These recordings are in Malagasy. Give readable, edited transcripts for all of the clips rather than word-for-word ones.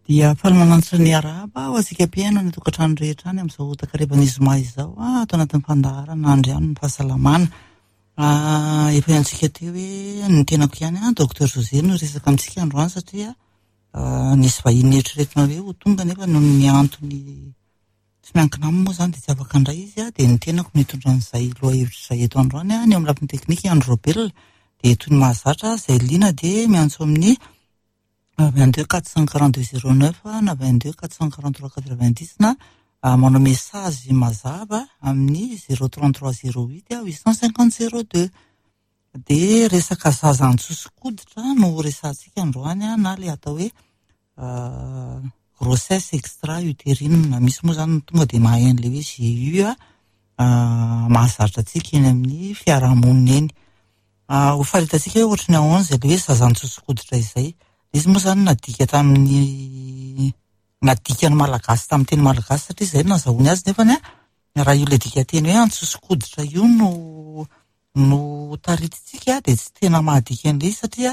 Dia faly manantitra ny arahaba ho antsika mpihaino any an-tokantrano rehetra any amin'izao takarivan'ny zoma izao ato anatin'ny fandaharana Andriano ny fahasalamana. Efa henontsika teo hoe ny tenako ihany Docteur José no hiresaka amintsika androany satria nisy vahiny neritreretina hoe ho tonga nefa noho ny antony tsy miankina aminy moa izany dia tsy afaka handray izy dia ny tenako no hitondra an'izay lohahevitra izay eto androany. Ny eo amin'ny lafiny teknika i Andry Raobelina dia toy ny mahazatra izay liana dia miantso amin'ny 22 442 09 na 22 443 90 na manao message mazava amin'ny 033 08 850 02. Dia resaka zaza antsoso-koditra no resahantsika androany na ilay atao hoe grossesse extra-utérine. Misy moa izany tonga dia mahay an'ilay hoe GU mahazatra antsika eny amin'ny fiarahamonina eny. Ho faritantsika hoe ohatry ny ahoana izay ilay hoe zaza antsoso-koditra izay. Ilay izy moa izany nadika tamin'ny nadikan'ny malagasy tamin'ny teny malagasy satria izay no nazahoany azy nefany raha io ilay dikanteny hoe antsoso-koditra io no no taritintsika dia tsy tena mahadika an'ilay izy satria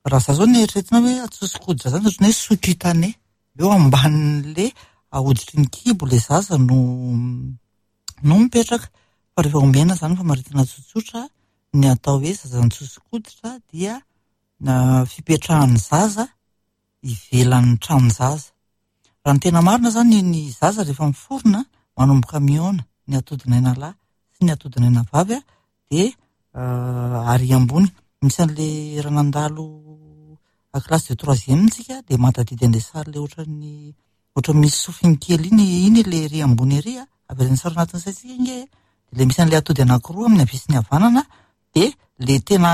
raha za zao no eritreretina hoe antsoso-koditra zany ohatran'ny hoe sous-cutané eo ambanin'le hoditry ny kibo ilay zaza no no mipetraka fa rehefa omena zany famaritana tsotsotra ny atao hoe zaza antsoso-koditra dia fipetrahan'ny zaza ivelan'ny tranon-jaza. Raha ny tena marina zany ny zaza rehefa miforona manomboka mihaona ny atodinaina lahy sy ny atodinaina vavy dia ary ambony. Misy an'le raha nandalo classe de troisième tsika dia mahatadidy an'ilay sary ilay ohatran'ny ohatran'ny misy sofiny kely iny, iny ilay ery ambony ery avelan'ny sary anatin'ny saintsika ange e. Dia ilay misy an'ilay atody anankiroa amin'ny havia sy ny havanana dia ilay tena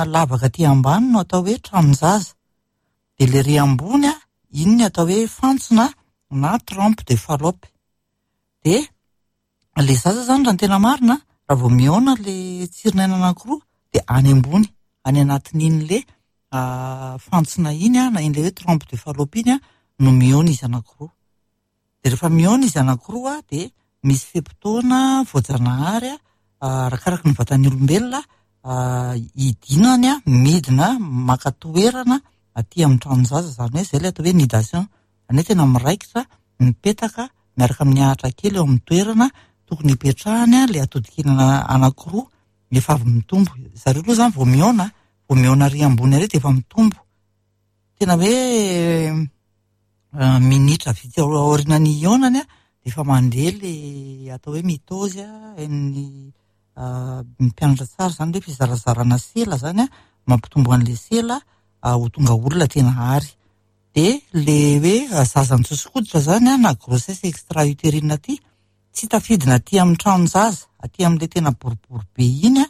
lavaka aty ambany no atao hoe tranon-jaza. Dia ilay ery ambony iny ny atao hoe fantsona na trompe de Fallope. Dia ilay zaza zany raha ny tena marina, raha vao mihaona ilay tsirinaina anankiroa dia any ambony, any anatin'iny le fantsona iny na iny ilay hoe trompe de Fallope iny no mihaona izy anankiroa. Dia rehefa mihaona izy anankiroa dia misy fe-potoana voajanahary arakaraky ny vatan'ny olombelona hidinany midina maka toerana aty amin'ny tranon-jaza, izany hoe izay ilay atao hoe nidation, izany hoe tena miraikitra, mipetaka miaraka amin'ny ahitra kely eo amin'ny toerana tokony hipetrahany ilay atodikely anankiroa efa avy mitombo. Zareo aloha izany vao mihaona, vao mihaona ary ambony ary dia efa mitombo. Tena hoe minitra vitsy aorian'ny hihaonany dia efa mandeha ilay atao hoe mitôzy, hain'ny mpianatra tsara izany hoe fizarazarana sela izany mampitombo an'ilay sela ho tonga olona tena ary. Dia ilay hoe zaza mitsoso-koditra izany na grossesse extra-utérine aty, tsy tafidina aty amin'ny tranon-jaza, aty amin'ilay tena boribory be iny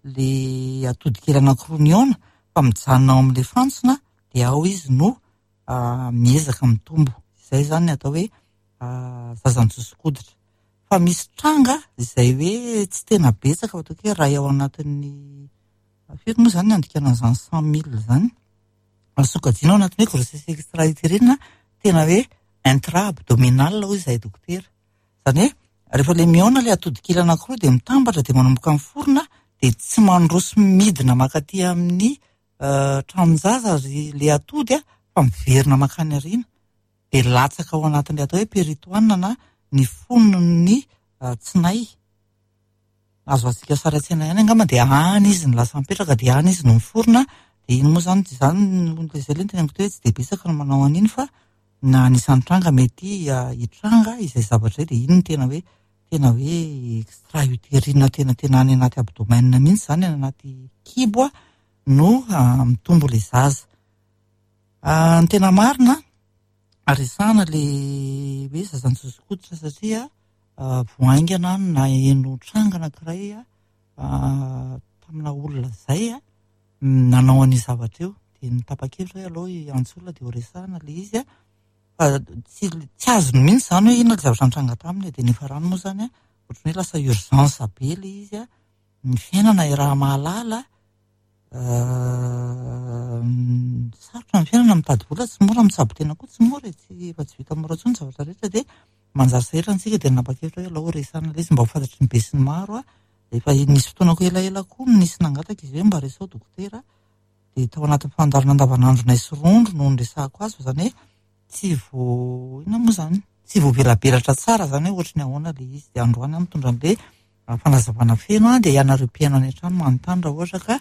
ilay atody kely anankiroa mihaona fa mijanona ao amin'ilay fantsona dia ao izy no miezaka mitombo. Izay izany ny atao hoe zaza mitsoso-koditra. Fa misy tranga izay hoe tsy tena betsaka fa ataoko hoe iray ao anatin'ny firy moa izany ny andikana an'izany 100 000 izany. Azo sokajiana ao anatin'ny hoe grossesse extra-utérine tena hoe intra-abdominal hoy izahay dokotera. Izany hoe rehefa ilay mihaona ilay atody kely anankiroa dia mitambatra dia manomboka miforona dia tsy mandroso midina mankaty amin'ny tranon-jaza ry ilay atody fa miverina mankany aoriana. Dia latsaka ao anatin'ilay atao hoe péritoine na ny fonon'ny tsinay. Azo azontsika sary an-tsaina ihany angamba dia any izy no lasa mipetraka dia any izy no miforona. Dia iny moa izany, izany izay aloha no teneniko teo hoe tsy dia betsaka no manao an'iny fa na anisan'ny tranga mety hitranga izay zavatra izay dia iny no tena hoe tena hoe extra-utérine tena tena any anaty abdomen mihitsy izany, any anaty kibo no mitombo ilay zaza. Ny tena marina, resahana ilay hoe zaza nitsoso-koditra satria vao haingana no naheno tranga anankiray tamina olona izay nanao an'io zavatra io. Dia nitapa-kevitra hoe aleo hiantso olona dia ho resahana ilay izy fa tsy tsy azony mihitsy izany hoe inona ilay zavatra nitranga taminy. Dia niafarany moa izany ohatran'ny hoe lasa urgence be ilay izy. Ny fiainana iaraha-mahalala Sarotra ny fiainana, mitady vola tsy mora, mitsabo tena koa tsy mora e, tsy efa tsy vita mora intsony ny zavatra rehetra dia manjary sahirana isika dia nanapa-kevitra hoe alao resahana ilay izy mba ho fantatry ny besinimaro. Efa nisy fotoana koa elaela koa no nisy nangataka izy hoe mba resaho dokotera dia tao anatin'ny fandaharana andavanandronay sy rondro no niresahako azy fa izany hoe. tsy vo inona moa izany? Tsy voavelabelatra tsara izany hoe ohatry ny ahoana ilay izy. Dia androany aho mitondra an'ilay fanazavana feno dia ianareo mpihaino any an-trano manontany raha ohatra ka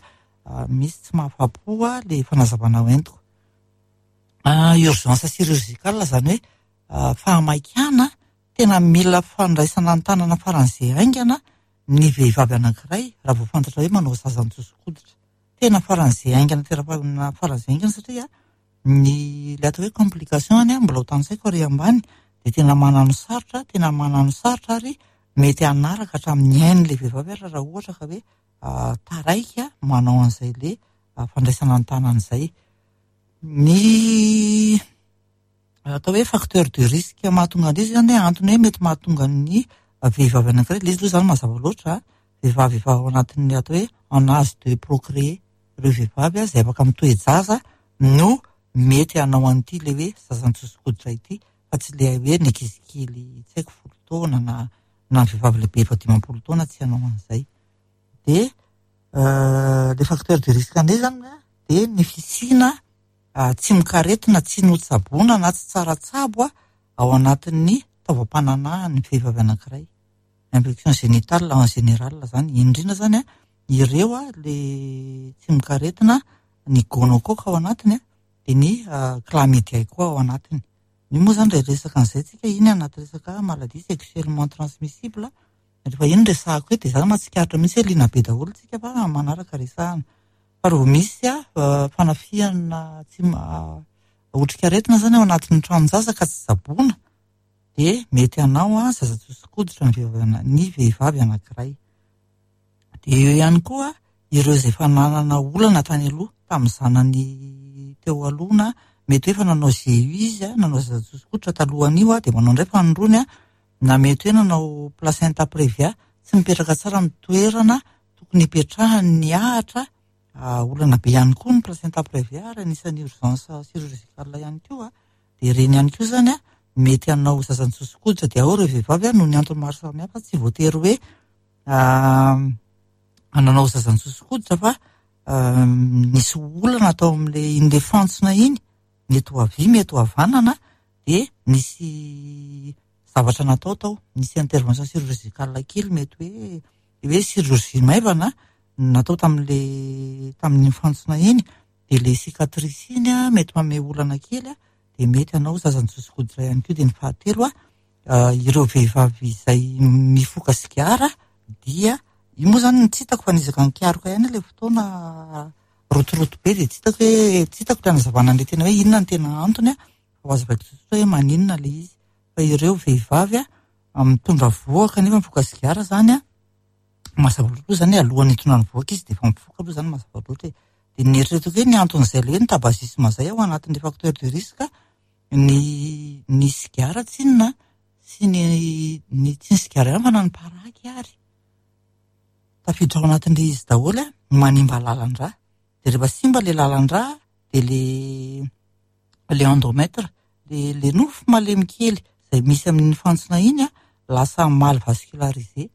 misy tsy mahafapo ilay fanazavana hoentiko. Urgence chirurgicale izany hoe fahamaikana tena mila fandraisana an-tanana faran'izay haingana ny vehivavy anankiray raha vao fantatra hoe manao zaza mitsoso-koditra. Tena faran'izay haingana, tena faran'izay haingana satria ny ilay atao hoe complication any mbola ho tanisaiko ary ambany dia tena manano sarotra, tena manano sarotra ary mety hanaraka hatramin'ny ain'ilay vehivavy ary raha ohatra ka hoe taraiky manao an'izay le fandraisana an-tanana izay. Ny atao hoe facteur de risque mahatonga an'ilay izy izany hoe antony hoe mety mahatonga ny vehivavy anankiray, ilay izy aloha izany mazava loatra, vehivavy efa ao anatin'ny atao hoe en âge de procréer, ireo vehivavy izay afaka mitoe-jaza no mety hanao an'ity ilay hoe zaza mitsoso-koditra ity fa tsy ilay hoe ny ankizy kely tsy haiko 10 taona na ny vehivavy lehibe efa 50 taona tsy hanao an'izay. Dia le facteur de risque indray izany dia ny fisiana tsimokaretina tsy notsaboina na tsy tsara tsabo ao anatin'ny taovam-pananahan'ny vehivavy anankiray. Infection génitale en général izany, indrindra izany ireo le tsimokaretina ny gonocoque ao anatiny dia ny chlamydia koa ao anatiny. Io moa izany raha resaka an'izay tsika iny anaty resaka maladie sexuellement transmissible. Rehefa iny resahako hoe dia za mahatsikaritra mihitsy hoe liana be daholo tsika fa manaraka resahana. Fa raha vao misy fanafihana tsy otrikaretina izany ao anatin'ny tranon-jaza ka tsy tsaboina dia mety hanao zaza tsoso-koditra ny vehivavy anankiray. Dia eo ihany koa ireo izay efa nanana olana tany aloha tamin'ny zanany teo aloha na mety hoe efa nanao GU izy, nanao zaza tsoso-koditra talohan'io dia manao indray fanindroany na mety hoe nanao placenta previa, tsy mipetraka tsara amin'ny toerana tokony hipetrahany ny ahitra. Olana be ihany koa ny placenta previa ary anisan'ny urgence chirurgicale ihany koa. Dia ireny ihany koa izany mety hanao zaza mitsoso-koditra dia ao ireo vehivavy noho ny antony maro samihafa tsy voatery hoe nanao zaza mitsoso-koditra fa nisy olana tao amin'ilay iny le fantsona iny, mety ho havia, mety ho havanana, dia nisy zavatra natao tao, nisy intervention chirurgicale kely mety hoe hoe chirurgie maivana natao tamin'ilay tamin'iny fantsona iny, dia ilay cicatrice iny mety manome olana kely dia mety hanao zaza mitsoso-koditra ihany koa. Dia ny fahatelo ireo vehivavy izay mifoka sigara dia io moa izany tsy hitako fa nizaka nikaroka ihany ilay fotoana rotoroto be dia tsy hitako hoe tsy hitako ilay hanazavana an'ilay tena hoe inona ny tena antony fa ho azavaiko tsotsotra hoe maninona ilay izy. Fa ireo vehivavy mitondra vohoka nefa mifoka sigara izany mazava loatra aloha izany alohan'ny hitondrany vohoka izy dia efa mifoka aloha izany mazava loatra e. Dia nieritreretako hoe ny anton'izay ilay hoe ny tabagisme izay ao anatin'ilay facteur de risque ny sigara tsinona sy ny tsy ny sigara ihany fa na ny paraky ary tafiditra ao anatin'ilay izy daholo manimba lalan-drà. Dia rehefa simba ilay lalan-drà dia le endomètre, le nofo malemy kely izay misy amin'ny fantsona iny lasa mal vascularisé,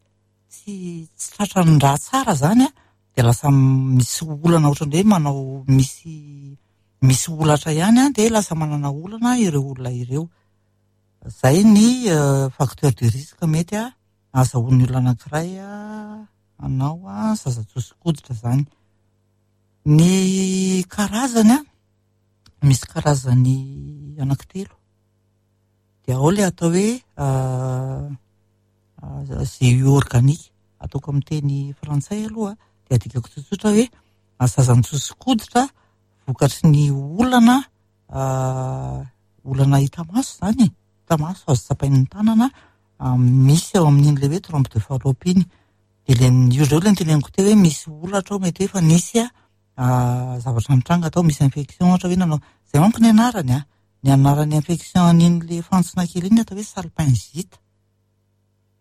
tsy tratran'ny rà tsara izany dia lasa misy olana ohatran'ny hoe manao misy olatra ihany dia lasa manana olana ireo olona ireo. Izay ny facteur de risque mety ahazahoan'ny olona anankiray hanao zaza tsoso-koditra izany. Ny karazany misy karazany anankitelo. Dia ao ilay atao hoe GU organique, ataoko amin'ny teny frantsay aloha dia adikako tsotsotra hoe zaza mitsoso-koditra vokatry ny olana olana hita maso izany e, hita maso azo tsapain'ny tanana misy ao amin'iny ilay hoe trompe de Fallope iny. Dia ilay ireo ilay noteneniko teo hoe misy olatra ao mety hoe efa nisy zavatra nitranga tao, misy infection ohatra hoe nanao, izay manko ny anarany ny anaran'ny infection an'iny ilay fantsona kely iny atao hoe salpingite.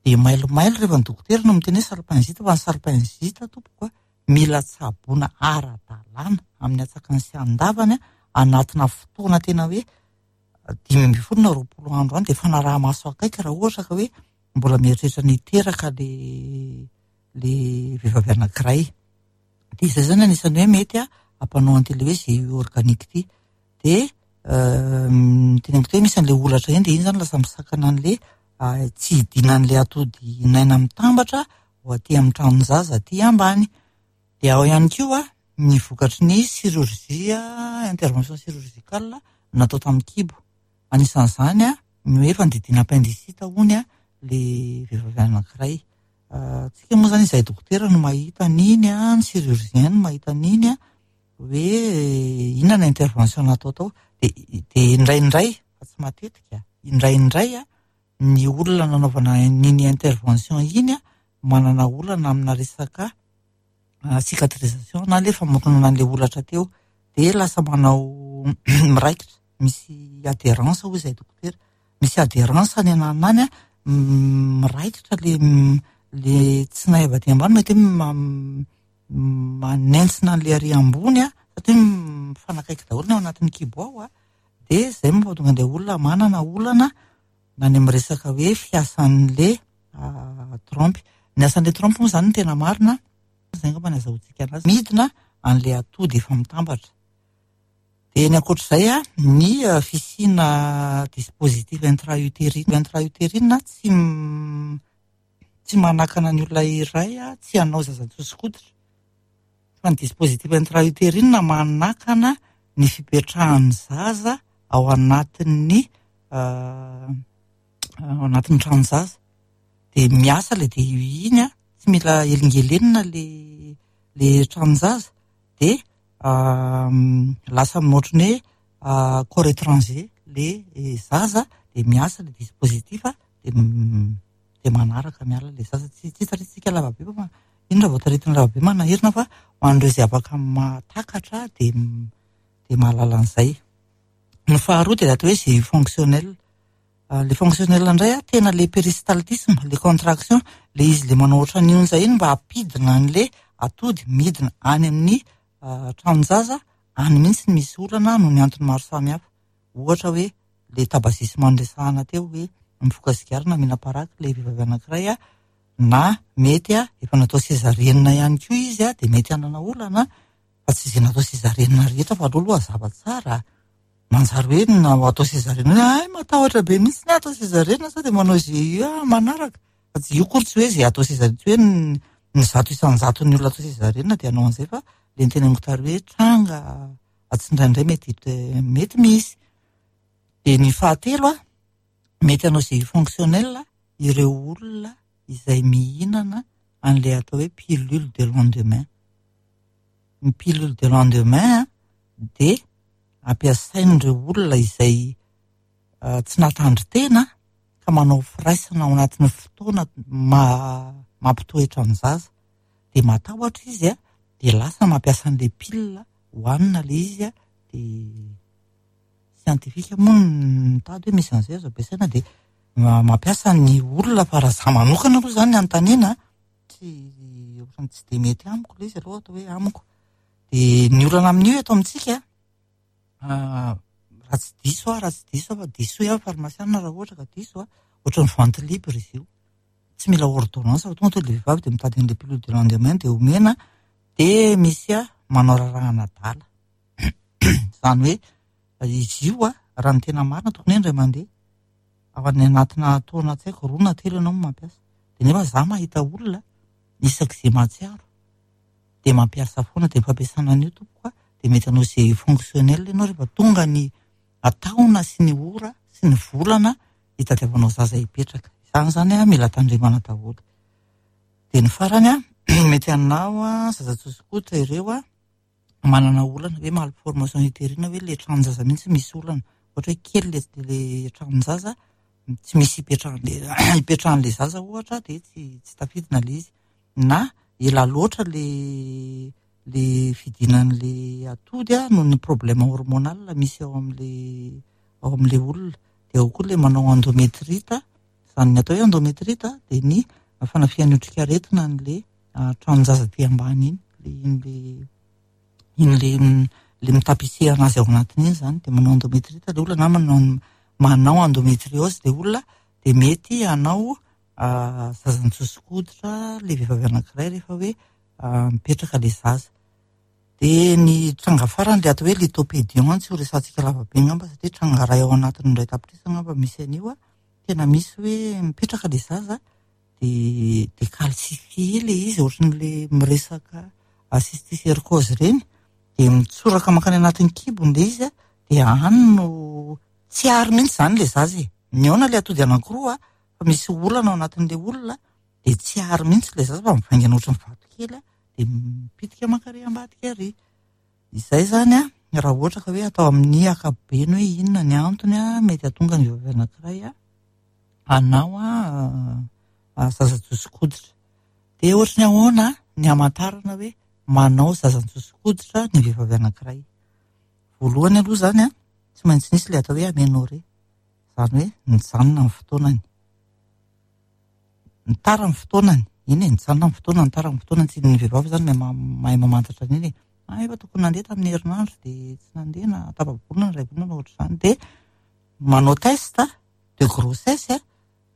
Dia mailomailo rehefa ny dokotera no miteny hoe salpingite fa ny salpingite tompoko mila tsaboina ara-dalàna amin'ny antsakany sy andavany anatina fotoana tena hoe 15 na 20 andro any dia fanaraha-maso akaiky raha ohatra ka hoe mbola mieritreritra ny hiteraka le vehivavy anankiray. Dia izay izany anisan'ny hoe mety hampanao an'ity ilay hoe GU organique ity. Dia Teneniko teo hoe misy an'ilay holatra iny dia iny izany lasa misakana an'ilay tsy hidinan'ilay atody naina mitambatra ho aty amin'ny tranon-jaza aty ambany. Dia ao ihany koa ny vokatry ny chirurgie, intervention chirurgicale natao tamin'ny kibo. Anisan'izany ny hoe fandidiana appendicite hono ilay vehivavy anankiray. Tsika moa izany izahay dokotera no mahita an'iny, ny chirurgien no mahita an'iny hoe inona ny intervention natao tao. Dia dia indraindray, fa tsy matetika, indraindray ny olona nanaovana an'iny intervention iny manana olana amina resaka cicatrisation na ilay famoronana an'ilay holatra teo. Dia lasa manao miraikitra, misy adhérence hoy izahay dokotera. Misy adhérence any ananona any, miraikitra ilay ilay tsinay avy aty ambany mety hoe manentsina an'ilay ary ambony satria mifanakaiky daholo ny ao anatin'ny kibo ao. Dia izay mahatonga an'ilay olona manana olana na ny amin'ny resaka hoe fiasan'ilay trompe. Ny asan'ilay trompe moa izany no tena marina, izay angamba no azahoantsika anazy, midina an'ilay atody efa mitambatra. Dia ny ankoatr'izay, ny fisiana dispositif intra-utérine. Intra-utérine tsy tsy manakana ny olona iray tsy hanao zaza tsoso-koditra. Fa ny dispositif intra-utérine manakana ny fipetrahan'ny zaza ao anatin'ny ao anatin'ny tranon-jaza. Dia miasa ilay DUI iny, tsy mila elingelenina ilay ilay tranon-jaza dia lasa ohatran'ny hoe corps étranger ilay zaza dia miasa ilay dispositif dia dia manaraka miala ilay zaza. Tsy tsy taritintsika lava be fa iny raha vao taritina lava be manahirana fa ho an'ireo izay afaka mahatakatra dia dia mahalala an'izay. Ny faharoa dia atao hoe GU fonctionnel. Le fonctionnel indray a, tena le péristaltisme, le contraction, le izy le manao ohatran'ny onja iny mba hampidina an'le atody midina any amin'ny tranon-jaza, any mihitsy no misy olana noho ny antony maro samihafa. Ohatra hoe le tabagisme noresahana teo hoe mifoka sigara na mihinam-paraky le vehivavy anankiray na mety efa natao césarienne ihany koa izy dia mety hanana olana fa tsy izay natao césarienne rehetra fa aleo aloha hazava tsara. Manjary hoe na atao césarienne hoe ay matahotra be mihitsy ny atao césarienne sao dia manao GU manaraka. Fa tsy io akory tsy hoe izay atao césarienne, tsy hoe ny 100% ny olona atao césarienne dia hanao an'izay fa le niteneniko tary hoe tranga tsindraindray mety mety misy. Dia ny fahatelo mety hanao GU fonctionnel ireo olona izay mihinana an'ilay atao hoe pilule de lendemain. Ny pilule de lendemain dia ampiasain'ireo olona izay tsy nahatandry tena ka manao firaisana ao anatin'ny fotoana mampitoetra ny zaza. Dia matahotra izy dia lasa mampiasa an'ilay pilule hohanina ilay izy dia scientifique moa no mitady hoe misy an'izay azo ampiasaina dia mampiasa ny olona fa raha izaho manokana aloha izany ny anontaniana tsy ohatran'ny tsy dia mety amiko ilay izy aloha atao hoe amiko. Dia ny olana amin'io eto amintsika raha tsy diso aho, raha tsy diso aho fa diso aho farmasiana raha ohatra ka diso ohatran'ny vente libre izy io. Tsy mila ordonnance fa tonga dia ilay vehivavy dia mitady an'ilay pilule de lendemain dia omena dia misy manao raharahan'adala. Izany hoe izy io raha ny tena marina tokony hoe indray mandeha ao anatina taona tsy haiko 2 na 3 ianao no mampiasa. Dia nefa izaho mahita olona isak'izay mahatsiaro dia mampiasa foana dia fampiasana an'io tompoko dia mety hanao GU fonctionnel ianao rehefa tonga ny taona sy ny ora sy ny volana hitadiavanao zaza hipetraka. Izany izany mila tandremana daholo. Dia ny farany mety hanao zaza tsoso-koditra ireo manana olana hoe malformation utérine hoe ilay tranon-jaza mihitsy misy olana. Ohatra hoe kely ilay tranon-jaza tsy misy hipetrahan'ilay zaza ohatra dia tsy tafidina ilay izy. Na ela loatra ilay le fidinan'ilay atody noho ny problème hormonal misy ao amin'ilay ao amin'ilay olona. Dia ao koa ilay manao endométrite, izany ny atao hoe endométrite dia ny fanafihan'ny otrikaretina an'ilay tranon-jaza aty ambany iny, ilay iny ilay iny ilay mitapisser anazy ao anatiny iny izany dia manao endométrite ilay olona na manao endométriose ilay olona dia mety hanao zaza nitsoso-koditra ilay vehivavy anankiray rehefa hoe mipetraka ilay zaza. Dia ny tranga farany ilay atao hoe lithopédion, tsy ho resahantsika lava be angamba satria tranga iray ao anatin'ny 1 tapitrisa angamba misy an'io. Tena misy hoe mipetraka ilay zaza dia dia calcifié ilay izy, ohatran'ilay miresaka cysticercose ireny, dia mitsoraka mankany anatin'ny kibony ilay izy, dia any no tsy ary mihitsy izany ilay zaza e. Mihaona ilay atody anankiroa fa misy olana ao anatin'ilay olona, dia tsy ary mihitsy ilay zaza fa mivaingana ohatran'ny vato kely, dia mipitika mankary ambadika ary. Izay zany raha ohatra ka hoe atao amin'ny ankapobeny hoe inona ny antony mety hahatonga ny vehivavy anankiray hanao zaza josokoditra. Dia ohatry ny ahoana ny hamantarana hoe manao zaza josokoditra ny vehivavy anankiray? Voalohany aloha zany tsy maintsy nisy ilay atao hoe aménorrhée, izany hoe nijanona ny fotoanany. Nitara ny fotoanany, iny e, nijanona ny fotoanany, nitara ny fotoanany. Tsy ny vehivavy zany mahay mamantatra an'iny e. Ah, efa tokony nandeha tamin'ny herinandro dia tsy nandeha, na tapa-bolana, iray volana, ohatr'izany. Dia manao test de grossesse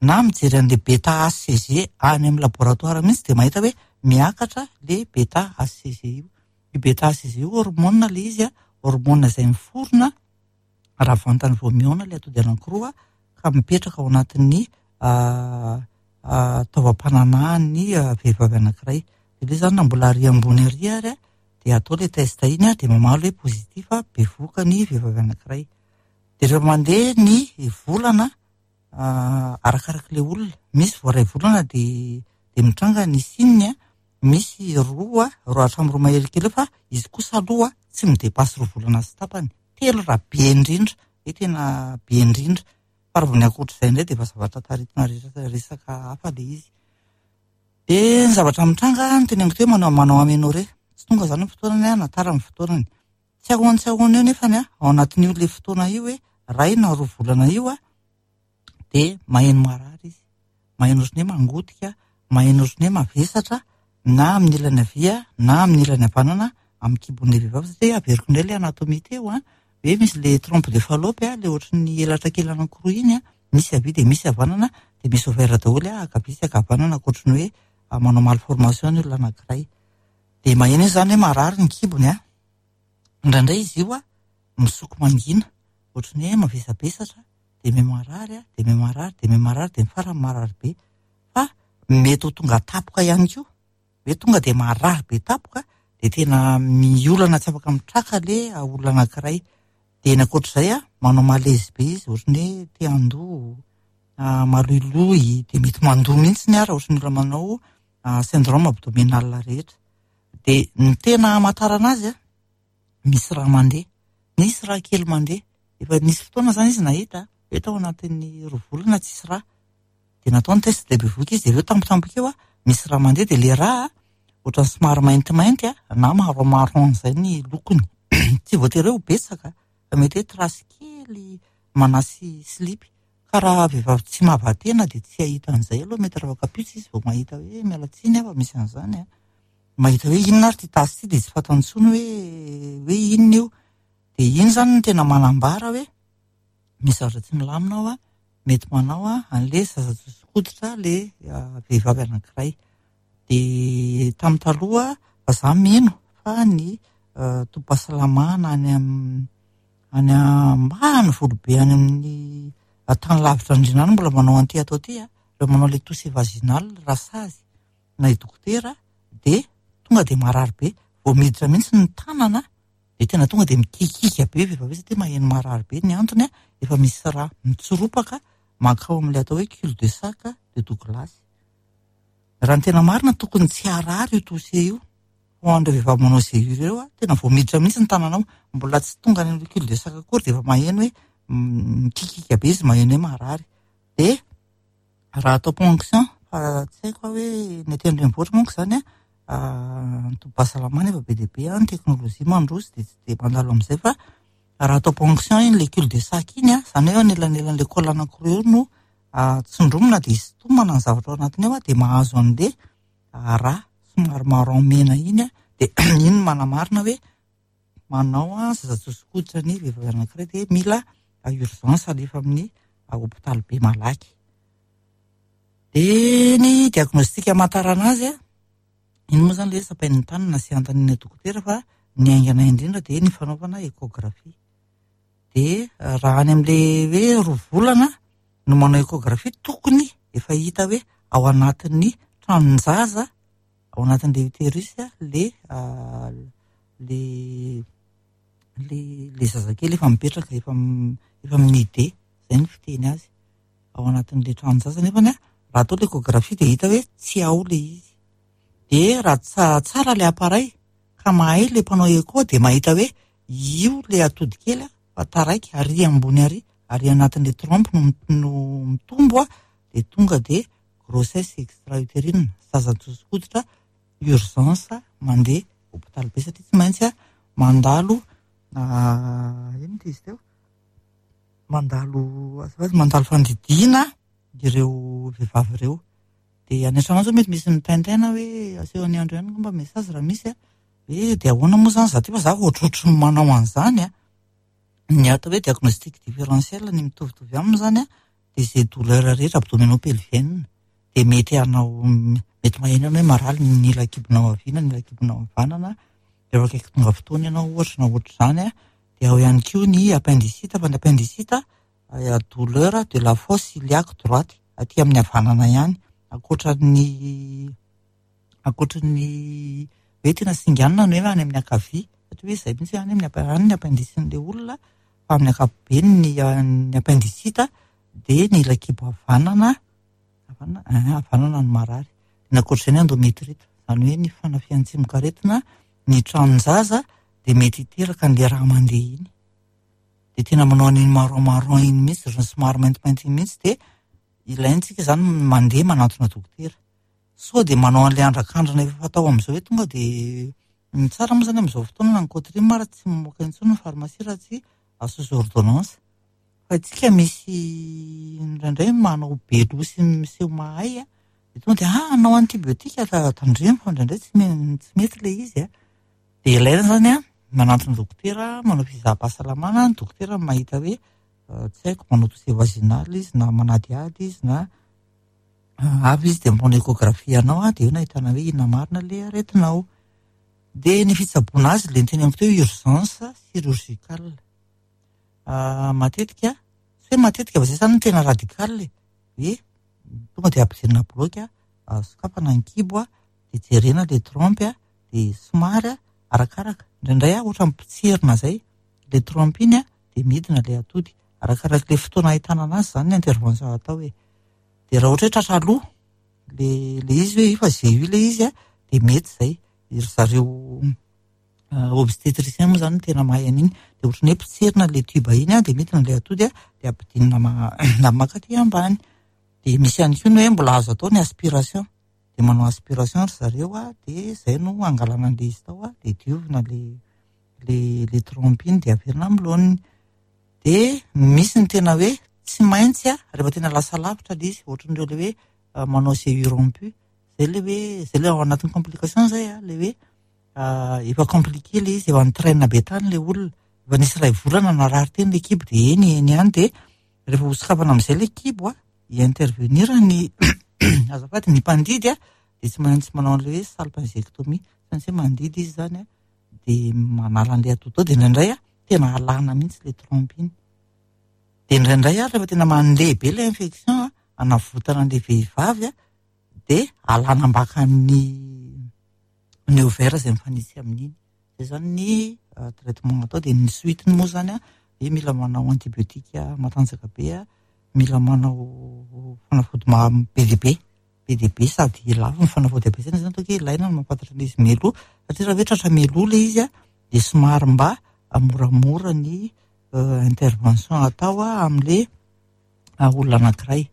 na mijery an'ilay bêta HCG any amin'ny laboratoire mihitsy, dia mahita hoe miakatra le bêta HCG io. Io bêta HCG io hormone ilay izy, hormone izay miforona raha vantany vao mihaona ilay atody anankiroa ka mipetraka ao anatin'ny taovam-pananahan'ny vehivavy anankiray. Dia ilay zany na mbola ary ambony ary ary dia atao ilay test iny, dia mamaly hoe positif, bevohoka ny vehivavy anankiray. Dia rehefa mandeha ny volana, arakarak'ilay olona, misy vao iray volana dia dia mitranga ny signe, misy roa hatramin'ny 2 mahery kely eo, fa izy kosa aloha tsy midépasse 2 volana sy tapany, 3 raha be indrindra, hoe tena be indrindra. Fa raha vao ny ankoatr'izay indray dia efa zavatra taritina resaka hafa ilay izy. Dia ny zavatra mitranga ny teneniko teo, manao aménorrhée, tsy tonga zany ny fotoanany na tara ny fotoanany. Tsy ahoany tsy ahoana eo nefany ao anatin'io le fotoana io hoe 1 na 2 volana io dia maheno marary izy. Maheno ohatran'ny hoe mangotika, maheno ohatran'ny hoe mavesatra na amin'ny ilany havia na amin'ny ilany havanana amin'ny kibon'ilay vehivavy, satria averiko indray ilay anatomie teo hoe misy le trompe de Fallope le ohatran'ny elatra kely anankiroa iny, misy havia dia misy havanana, dia misy ovaire daholo ankavia sy ankavanana, ankoatran'ny hoe manao malformation ny olona anankiray. Dia maheno izy zany hoe marary ny kibony. Indraindray izy io misoko mangina, ohatran'ny hoe mavesabesatra, dia miha marary dia miha marary dia miha marary, dia ny farany marary be. Fa mety ho tonga tampoka ihany koa, hoe tonga dia marary be tampoka, dia tena miolana tsy afaka mitraka le olona anankiray. Dia ny ankoatr'izay manao malaise be izy, ohatran'ny hoe te handoa, maloiloy, dia mety mandoa mihitsy raha ohatran'ny olona manao syndrome abdominal rehetra. Dia ny tena hamantarana azy misy raha mandeha, misy raha kely mandeha. Efa nisy fotoana zany izy nahita hoe tao anatin'ny 2 volana tsisy raha, dia natao ny test dia bevohoka izy, dia avy eo tampotampoka eo misy raha mandeha, dia le raha ohatran'ny somary maintimainty na marron marron izay ny lokony. Tsy voatery hoe ho betsaka fa mety hoe trace kely manasy slipy. Ka raha vehivavy tsy mahavatena dia tsy hahita an'izay aloha, mety raha kapitsy izy vao mahita hoe miala tsiny aho fa misy an'izany. Mahita hoe inona ary ity tasy ity, dia tsy fantany intsony hoe inona io. Dia iny zany no tena manambara hoe misy zavatra tsy milamina ao, mety manao an'ilay zaza josokoditra le vehivavy anankiray. Dia tamin'ny taloha fa za mino fa ny tobim-pahasalamana any ambany volobe any amin'ny tany lavitra andriana any mbola manao an'ity atao ity rehefa manao le toucher vaginal rasazy na i dokotera, dia tonga dia marary be vao miditra mihitsy ny tanana, dia tena tonga dia mikikika be vehivavy satria maheno marary be. Ny antony efa misy raha mitsoropaka mankao amin'ilay atao hoe cul de sac de Douglas. Raha ny tena marina, tokony tsy harary io toucher io. Ho an'ireo vehivavy manao GU ireo tena vao miditra mihitsy ny tananao, mbola tsy tonga any amin'ny cul de sac akory, dia efa maheno hoe mikikika be izy, maheno hoe marary. Dia raha atao ponction, fa tsy haiko aho hoe ny aty an-drenivohitra manko zany ny tobim-pahasalamana efa be dia be ny teknôlôjia mandroso, dia tsy dia mandalo amin'izay. Fa raha atao ponction iny le cul de sac iny zany hoe anelanelan'le col anankiroa eo no tsindromina, dia sintomana ny zavatra ao anatiny ao, dia mahazo an'le raha somary marron mena iny, dia iny no manamarina hoe manao zaza josokoditra ny vehivavy anankiray, dia mila urgence alefa amin'ny hôpitaly be malaky. Dia ny diagnostic hamantarana azy iny moa zany le hoe tsapain'ny tanana sy anontaniana dokotera, fa Ny haingana indrindra dia ny fanaovana échographie. Dia raha any amin'ilay hoe 2 volana no manao échographie, tokony efa hita hoe ao anatin'ny tranon-jaza, ao anatin'ilay utérus le zazakely efa mipetraka, efa minide, izay ny fiteny azy. Ao anatin'ilay tranon-jaza nefany raha atao l'échographie dia hita hoe tsy ao ilay izy. Dia raha tsara ilay appareil ka mahay ilay mpanao écho dia mahita hoe io ilay atody kely fa taraiky ary ambony ary, ary anatin'ilay trompe no mitombo dia tonga dia grossesse extra-utérine, zaza nitsoso-koditra, urgence mandeha hôpitaly be satria tsy maintsy mandalo, inona ity izy teo? Mandalo, azafady, mandalo fandidiana ireo vehivavy ireo. Dia any an-trano zao mety misy mitaintaina hoe asehon'ny andro ihany angamba message raha misy hoe dia ahoana moa zany za ty fa za ohatrohatry ny manao an'izany a. Ny atao hoe diagnostic différentiel ny mitovitovy aminy zany dia izay douleur rehetra abdominopelvienne dia mety hanao, mety maheno ianao hoe marary ny ila kibonao havia na ny ila kibonao havanana, rehefa akaiky tonga fotoana ianao ohatra na ohatr'izany dia ao ihany koa ny appendicite, fa ny appendicite douleur de la fosse iliaque droite aty amin'ny havanana ihany, ankoatran'ny hoe tena singanina ny hoe any amin'ny ankavia, satria hoe izay mihitsy any amin'ny any ny appendice-n'ilay olona, fa amin'ny ankapobeny ny appendicite dia ny ila kibo havanana, havanana, havanana no marary. Ny ankoatr'izay ny endométrite, izany hoe ny fanafihan'ny tsimokaretina ny tranon-jaza dia mety hiteraka an'ilay rà mandeha iny. Dia tena manao an'iny marron marron iny mihitsy, ohatran'ny somary maintimainty iny mihitsy, dia ilaintsika izany mandeha manantona dokotera. Sao dia manao an'ilay andrakandrana efa fatao amin'izao hoe tonga dia ny tsara moa izany amin'izao fotoana na ny Cotrim ary tsy mamoaka intsony ny pharmacie raha tsy sous ordonnance. Fa isika misy indraindray manao be loha sy miseho mahay dia tonga dia hanao antibiotika tandremo fa indraindray tsy mety ilay izy a. Dia ilaina izany manantona dokotera, manao fizaham-pahasalamana, ny dokotera mahita hoe tsy haiko manao toux vaginale izy na manadihady izy na avy izy dia manao échographie anao dia eo no ahitana hoe inona marina ilay aretinao. Dia ny fitsaboana azy ilay niteneniko teo urgence chirurgicale. Matetika, tsy hoe matetika fa izay izany no tena radical e. Hoe tonga dia ampidirina bloc, sokafana ny kibo, dia jerena ilay trompe, dia somary arakaraka. Indraindray ohatra mipotserina izay, ilay trompe iny dia midina ilay atody. Arakaraka ilay fotoana ahitana anazy izany ny intervention atao e. Dia raha ohatra hoe tratra aloha, le izy hoe efa GU ilay izy dia mety izay. Ry zareo obstétricien moa izany no tena mahay an'iny. Dia ohatran'ny hoe potserina ilay tube iny dia midina ilay atody dia ampidinina mankaty ambany. Dia misy ihany koa ny hoe mbola azo atao ny aspiration. Dia manao aspiration ry zareo dia izay no angalana an'ilay izy tao dia diovina le trompe iny dia averina amin'ny laoniny. Dia misy ny tena hoe tsy maintsy rehefa tena lasa lavitra ilay izy, ohatran'ireo ilay hoe manao GU rompu. Izay ilay hoe, izay ilay ao anatin'ny complication izay ilay hoe efa compliqué ilay izy, efa nitraîne be tany ilay olona, efa nisy iray volana narary teny ilay kibo dia eny eny ihany, dia rehefa hosokafana amin'izay ilay kibo hi-intervenir ny azafady ny mpandidy dia tsy maintsy manao an'ilay hoe salpingectomie, tsy maintsy hoe mandidy izy izany dia manala an'ilay atody ao, dia indraindray tena alana mihitsy ilay trompe iny. Dia indraindray rehefa tena mandeha be ilay infection hanavotana an'ilay vehivavy dia alana ambakan'ny ny ovaire izay mifanitsy amin'iny. Izay izany ny traitement atao. Dia ny suite-ny moa izany dia mila manao antibiotique matanjaka be, mila manao fanafody be dia be, be dia be sady lafo ny fanafody ampiasaina. Izany ataoko hoe ilaina ny mahafantatra an'izy mialoha, satria raha hoe tratra mialoha ilay izy dia somary mba moramora ny intervention atao amin'ilay olona anankiray.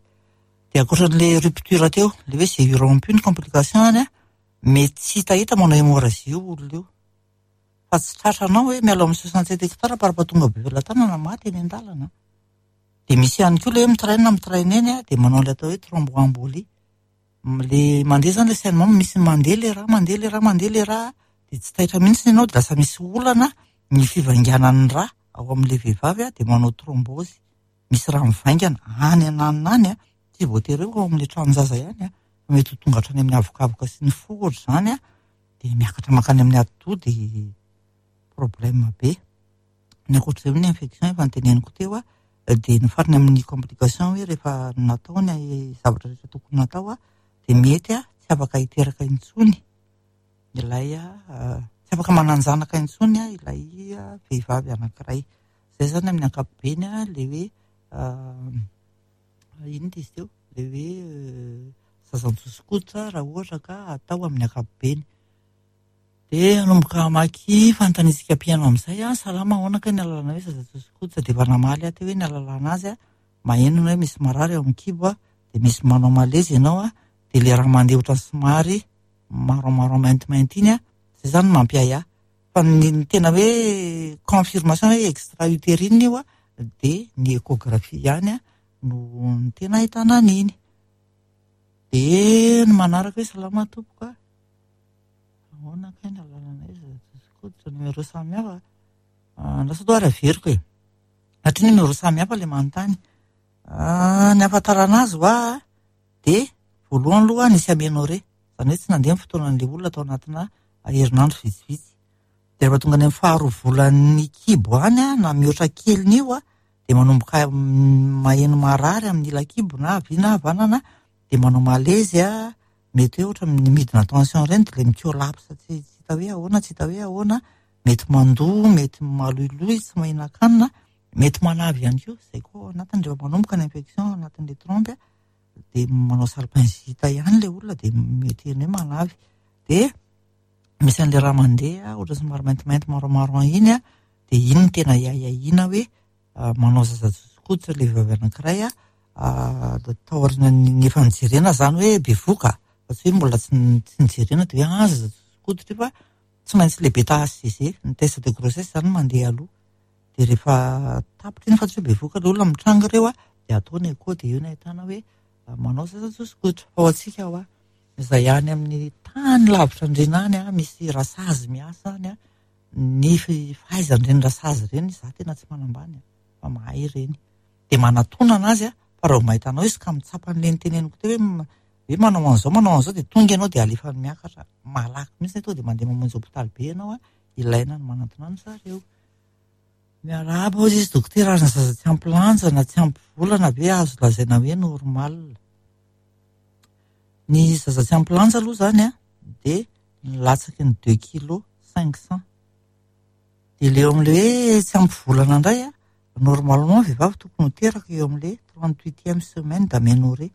Dia ankoatran'ilay rupture teo, ilay hoe GU rompu ny complication any mety tsy hitahita manao hémorragie io olona io. Fa tsy tratranao hoe miala ao amin'ny 67 hectares par rapport tonga Befelatanana maty eny an-dalana. Dia misy ihany koa ilay hoe mitraîne, mitraîne eny dia manao ilay atao hoe thromboembolie. Le mandeha izany ilay saignement, misy mandeha ilay rà, mandeha ilay rà, mandeha ilay rà, dia tsy taitra mihitsy ianao, dia lasa misy olana ny fivainganan'ny rà ao amin'ilay vehivavy dia manao thrombose. Misy rà mivaingana any ananona any, tsy voatery hoe ao amin'ilay tranon-jaza ihany, fa mety ho tonga hatrany amin'ny avokavoka sy ny fo ohatr'izany, dia miakatra mankany amin'ny atidoha dia problème be. Ny ankoatr'izay moa ny infection efa noteneniko teo a, dia ny farany amin'ny complication hoe rehefa natao ny zavatra rehetra tokony natao a, dia mety a tsy afaka hiteraka intsony ilay tsy afaka manan-janaka intsony a ilay vehivavy anankiray. Izay izany amin'ny ankapobeny a ilay hoe inona izy teo? Ilay hoe zaza mitsoso-koditra raha ohatra ka atao amin'ny ankapobeny. Dia hanomboka hamaky fanontaniantsika mpihaino amin'izay aho. Salama, ahoana kay ny ahalalana hoe zaza tsoso-koditra? Dia efa namaly aho teo hoe ny ahalalana azy a, maheno ianao hoe misy marary ao amin'ny kibo a, dia misy manao malaise ianao a, dia ilay raha mandeha ohatran'ny somary marron marron maintimainty iny a, izay izany no mampiahiahy. Fa ny ny tena hoe confirmation hoe extra utérine io a, dia ny échographie ihany a no no tena ahitana an'iny. Dia ny manaraka hoe salama tompoko a. Ahoana kay ny alalana izy koditra numéro samy hafa. Andraso aloha ary averiko e. Satria numéro samy hafa ilay manontany. Ny ahafantarana azy hoa dia voalohany aloha nisy aménorrhée. Izany hoe tsy nandeha ny fotoanan'ilay olona tao anatina herinandro vitsivitsy. Dia rehefa tonga any amin'ny faharoa volan'ny kibo any na mihoatra kelin'io dia manomboka maheno marary amin'ny ila kibo na havia na havanana dia manao malaise. Mety hoe ohatra ny midina tension ireny dia ilay mi-collapse tsy hita hoe ahoana, tsy hita hoe ahoana, mety mandoa, mety maloiloy, tsy mahinan-kanina, mety manavy ihany koa, izay koa ao anatiny rehefa manomboka ny infection ao anatin'ilay trompe dia manao salpingite ihany ilay olona dia mety hoe manavy. Dia misy an'ilay raha mandeha ohatra somary maintimainty marron marron iny dia iny no tena ahiahiana hoe manao zaza tsotsokoditra ilay vehivavy anankiray taorian'ny efa nijerena izany hoe bevoka fa tsy hoe mbola tsy nijerena dia hoe zaza tsotsokoditra io fa tsy maintsy ilay beta HCG ny test de grossesse izany mandeha aloha dia rehefa tapitra iny fa tsy hoe bevoka ilay olona mitranga ireo dia atao ny écho dia eo no ahitana hoe manao zaza tsotsokoditra. Fa ho antsika hoa izay any amin'ny tany lavitra andriana any misy rasazy miasa any ny fahaizan'ireny rasazy ireny izaho tena tsy manambany fa mahay ireny. Dia manatona anazy fa raha vao mahita anao izy ka mitsapa an'ilay niteneniko teo hoe hoe manao an'izao manao an'izao dia tonga ianao dia alefany miakatra malaky mihitsy tonga dia mandeha mamonjy hopitaly be ianao ilaina ny manantona an-dry zareo. Miarahaba hozy izy dokotera, ary ny zaza tsy ampy lanja na tsy ampy volana ve azo lazaina hoe normal? Ny zaza tsy ampy lanja aloha izany dia ny latsaky ny deux kilos 500. Dia ilay eo amin'ilay hoe tsy ampy volana indray a, normalement vehivavy tokony ho teraka eo amin'ilay trente-huitième semaine d'aménorrhée.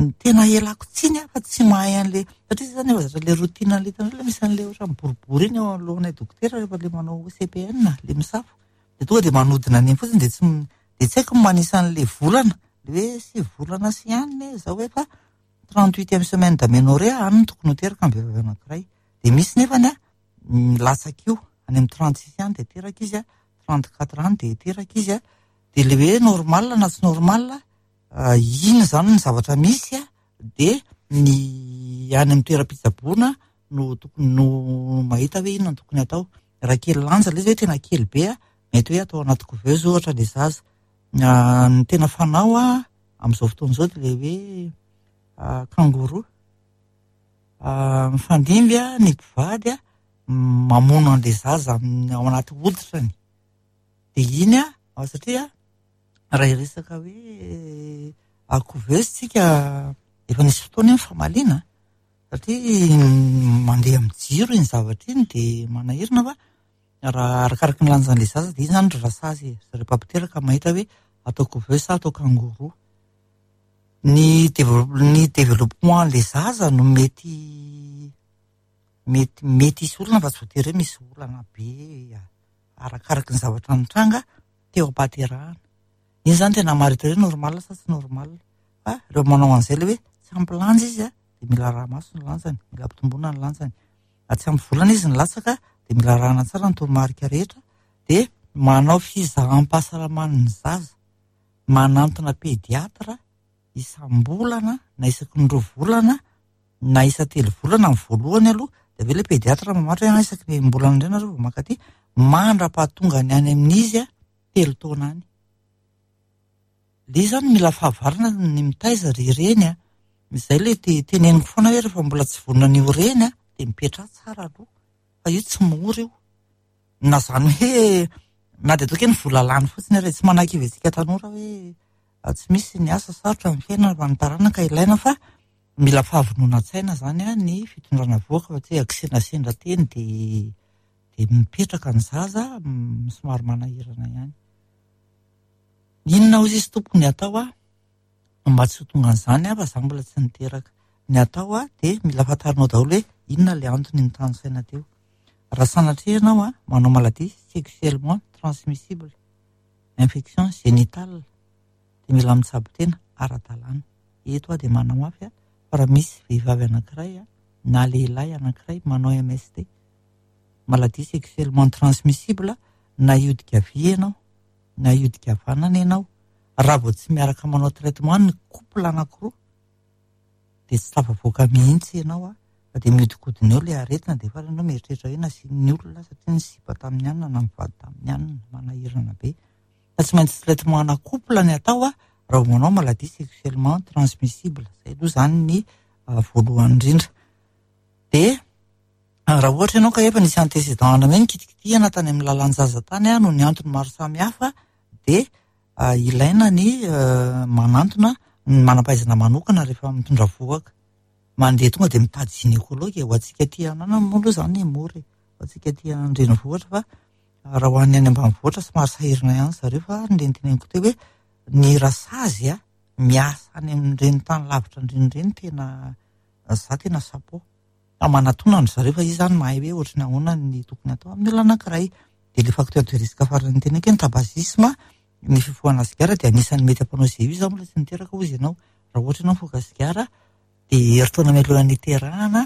Ny tena ialako tsiny aho fa tsy mahay an'ilay, satria izy izany efa zatra ilay routine an'ilay hitanareo ilay misy an'ilay ohatran'ny boribory iny eo anoloanay dokotera rehefa ilay manao CPN, ilay misafo. Dia tonga dia manodina an'iny fotsiny dia tsy dia tsy haiko ny manisa an'ilay volana, ilay hoe 9 volana sy ihany izao hoe fa trente-huitième semaine d'aménorrhée any no tokony ho teraka ny vehivavy anankiray. Dia misy nefany a, milatsaka io, any amin'ny 36 any dia teraka izy a, 34 any dia teraka izy a. Dia ilay hoe normal na tsy normal, iny izany ny zavatra misy a, dia ny any amin'ny toeram-pitsaboana no tokony no mahita hoe inona no tokony atao. Raha kely lanja ilay izy hoe tena kely be a, mety hoe atao anaty couveuse ohatra ilay zaza. Ny tena fanao a, amin'izao fotoana izao dia ilay hoe kangourou. Mifandimby ny mpivady mamono an'ilay zaza ao anaty hoditrany. Dia iny a, satria raha hiresaka hoe couveuse tsika efa nisy fotoana iny famaliana satria mandeha amin'ny jiro iny zavatra iny dia manahirana fa raha arakaraky ny lanjan'ilay zaza dia iny izany ry rasazy e, zareo mpampiteraka mahita hoe atao couveuse sa atao kangourou. Ny ny développement an'ilay zaza no mety mety mety hisy olana fa tsy voatery hoe misy olana be arakaraky ny zavatra nitranga teo am-pahaterahana. Iny izany tena maharitra hoe normal sa tsy normal. Fa ireo manao an'izay ilay hoe tsy ampy lanja izy a, dia mila araha-maso ny lanjany, mila ampitomboina ny lanjany. Raha tsy ampy volana izy nilatsaka dia mila arahana tsara ny toromarika rehetra, dia manao fizaham-pahasalaman'ny zaza, manantona pédiatre isam-bolana na isaky ny 2 volana na isan-telo volana amin'ny voalohany aloha, dia avy eo ilay pédiatre mamaritra hoe isaky ny enim-bolana indray nareo vao maka aty, mandra-pahatonga ny any amin'izy 3 taona any. Ilay izy izany mila fahavarana ny mitaiza ry reny a. Izay ilay teneniko foana hoe rehefa mbola tsy vonona ny ho reny a, dia mipetraha tsara aloha, fa io tsy mora io. Na izany hoe na dia ataoko hoe ny vola lany fotsiny ary tsy manakivy antsika tanora hoe tsy misy ny asa, sarotra ny fiainana fa ny taranaka ilaina fa mila fahavonona-tsaina izany ny fitondrana vohoka fa tsy hoe akisendrasendra teny dia dia mipetraka ny zaza somary manahirana ihany. Inona hozy izy tompoko ny atao a? Mba tsy ho tonga an'izany aho fa za mbola tsy niteraka. Ny atao a dia mila fantarinao daholo hoe inona ilay antony nitanisaina teo. Raha sanatria ianao a manao maladie sexuellement transmissible, infection génitale, dia mila mitsabo tena ara-dalàna. Eto aho dia manamafy a fa raha misy vehivavy anankiray a na lehilahy anankiray manao MST, maladie sexuellement transmissible, na hiodika havia ianao na hiodika havanana ianao, raha vao tsy miaraka manao traitement ny couple anankiroa dia tsy tafavoaka mihitsy ianao a, fa dia mihodinkodina eo ilay aretina dia farany ianao mieritreritra hoe nasian'ny olona satria nisipa tamin'ny anona na nivady tamin'ny anona, manahirana be. Fa tsy maintsy traitement ana couple ny atao a raha vao manao maladie sexuellement transmissible. Izay aloha izany ny voalohany indrindra. Dia raha ohatra ianao ka efa nisy antécédent ana hoe nikitikitihana tany amin'ny lalan-jaza tany a noho ny antony maro samihafa dia ilaina ny manantona ny manam-pahaizana manokana rehefa mitondra vohoka. Mandeha tonga dia mitady gynécologue ho antsika aty anana moa aloha izany mora e, ho antsika aty an-drenivohitra fa raha ho an'ny any ambanivohitra somary sahirana ihany zareo fa ny teneniko teo hoe ny rasazy a miasa any amin'ireny tany lavitra indrindra ireny tena za tena chapeau. Fa manatona an-dry zareo fa izy izany mahay hoe ohatry ny ahoana ny tokony atao amin'ny olona anankiray. Dia ilay facteur de risque farany noteneniko hoe ny tabagisme, ny fifohana sigara dia anisan'ny mety hampanao GU. Izaho mbola tsy niteraka hozy ianao. Raha ohatra ianao mifoka sigara dia herintaona mialohan'ny hiterahana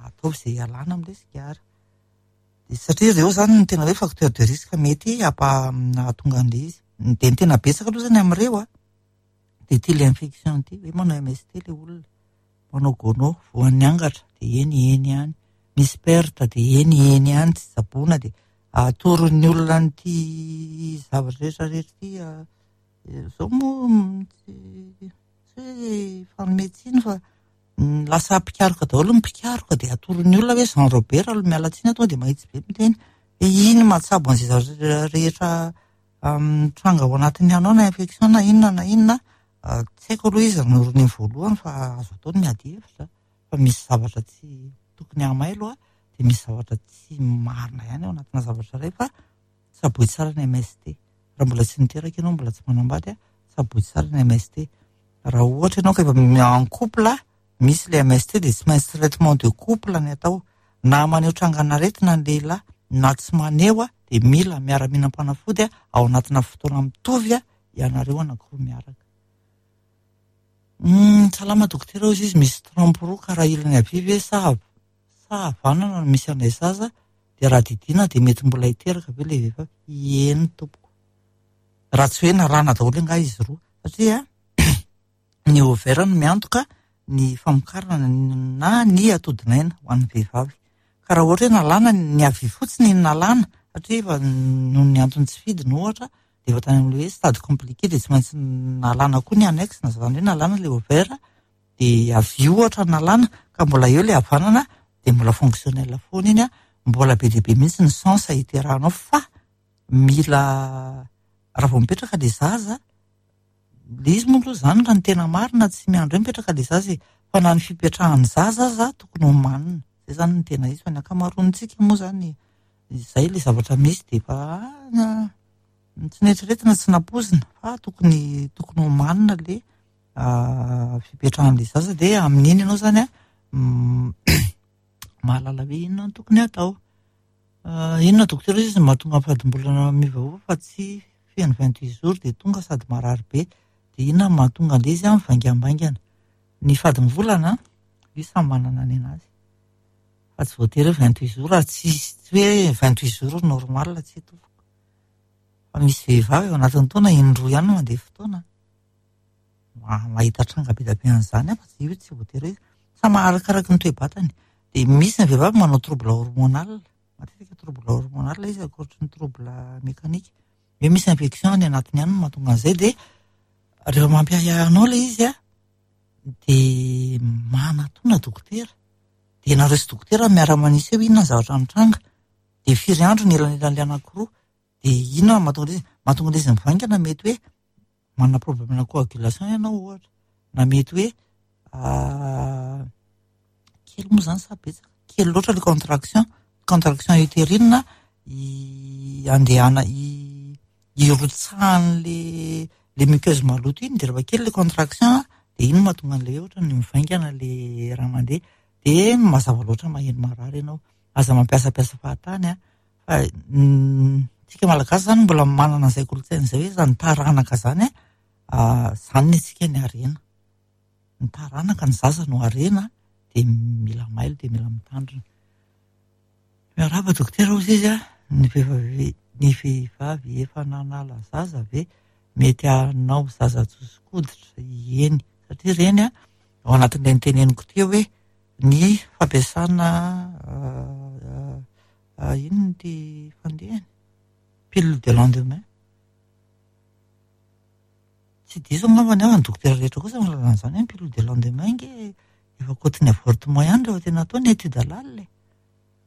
ataovy izay hialana amin'ilay sigara. Dia satria ireo izany no tena hoe facteur de risque mety hampa- hahatonga an'ilay izy. Dia ny tena betsaka aloha izany amin'ireo an, dia ity ilay infection ity, hoe manao MST ilay olona. Manao gono, voan'ny angatra dia eny eny ihany, misy perte dia eny eny ihany, tsy tsaboina dia atoron'ny olona an'ity zavatra rehetra rehetra ity. Izao moa tsy tsy hoe hifanome tsiny fa lasa mpikaroka daholo ny mpikaroka dia atoron'ny olona hoe Jean Robert aloha miala tsiny aho tonga dia mahitsy be miteny hoe iny mahatsabo an'izay zavatra rehetra mitranga ao anatin'ny anao na infection na inona na inona. Tsy haiko aloha iza no ronono voalohany fa azo atao ny miady hevitra fa misy zavatra tsy tokony hamailo dia misy zavatra tsy marina ihany ao anatina zavatra iray fa tsaboy tsara ny MST. Raha mbola tsy niteraka ianao, mbola tsy manambady, tsaboy tsara ny MST. Raha ohatra ianao ka efa en couple, misy ilay MST dia tsy maintsy traitement de couple ny atao. Na maneho trangan'aretina ny lehilahy na tsy maneho dia mila miara-mihinam-panafody ao anatina fotoana mitovy ianareo anankiroa miaraka. Salama dokotera hozy izy, misy trompe roa ka raha ilany havia ve sa sa havanana no misy an'ilay zaza dia raha didiana dia mety mbola hiteraka ve ilay vehivavy? Eny tompoko. Raha tsy hoe nalana daholo angaha izy roa satria ny ovaire no miantoka ny famokarana na ny atodinaina ho an'ny vehivavy. Ka raha ohatra hoe nalana ny havia fotsiny no nalana satria efa noho ny antony tsy fidiny ohatra dia efa tany amin'ilay hoe stade compliqué dia tsy maintsy nalana koa ny annexe na izany hoe nalana ilay ovaire dia havia ohatra nalana ka mbola eo ilay havanana dia mbola fonctionnel foana iny, mbola be dia be mihitsy ny chance hiterahanao fa mila raha vao mipetraka ilay zaza Ilay izy moa aloha izany raha ny tena marina tsy miandry hoe mipetraka ilay zaza e, fa na ny fipetrahan'ny zaza aza tokony homanina, izay izany no tena izy fa ny ankamaroantsika moa izany izay ilay zavatra misy dia efa tsy noeritreretina tsy nampoizina fa tokony tokony homanina ilay fipetrahan'ilay zaza dia amin'iny ianao izany an mahalala hoe inona no tokony hatao. Inona dokotera izy no mahatonga ny fadimbolana miovaova fa tsy feno 28 jours dia tonga sady marary be dia inona no mahatonga an'ilay izy mivaingambaingana. Ny fadimbolana io samy manana ny anazy fa tsy voatery hoe 28 jours raha tsy tsy hoe 28 jours normal tsy tompoko. Fa misy vehivavy ao anatin'ny taona indroa ihany no mandeha fotoana. Mahita tranga be dia be an'izany aho fa tsy io tsy voatery hoe samy arakaraky ny toe-batany. Dia misy ny vehivavy manao trouble hormonal. Matetika trouble hormonal izy ankoatry ny trouble mécanique. Hoe misy infection any anatiny any no mahatonga an'izay dia rehefa mampiahiahy anao ilay izy an, dia manatona dokotera. Dia nareo sy dokotera miara-manisy hoe inona ny zavatra mitranga. Dia firy andro ny elanelan'ilay anankiroa? Dia inona no mahatonga an'izy? Mahatonga an'izy mivaingana mety hoe manana problème-na coagulation ianao ohatra, na mety hoe kely moa izany sa betsaka? Kely loatra ilay contraction, contraction utérine andehana irotsahan'le le muqueuse maloto iny dia rehefa kely ilay contraction dia iny no mahatonga an'ilay hoe ohatran'ny mivaingana ilay raha mandeha. Dia mazava loatra maheno marary ianao. Aza mampiasampiasa fahatany an, fa tsika malagasy izany mbola manana an'izay kolontsaina izay hoe izany taranaka izany an, izany ny antsika ny harena. Ny taranaka, ny zaza no harena dia mila mailo dia mila mitandrina. Miarahaba dokotera hozy izy a, ny vehivavy ny vehivavy efa nanala zaza ve mety hanao zaza tsotso-koditra? Eny, satria ireny a, ao anatin'ilay noteneniko teo hoe ny fampiasana inona ity fandehany? Pilule de lendemain. Tsy diso angamba ny aho, ny dokotera rehetra kosa mahalala an'izany hoe ny pilule de lendemain ange efa côté-ny avortement ihany rehefa tena atao ny étude lalina e.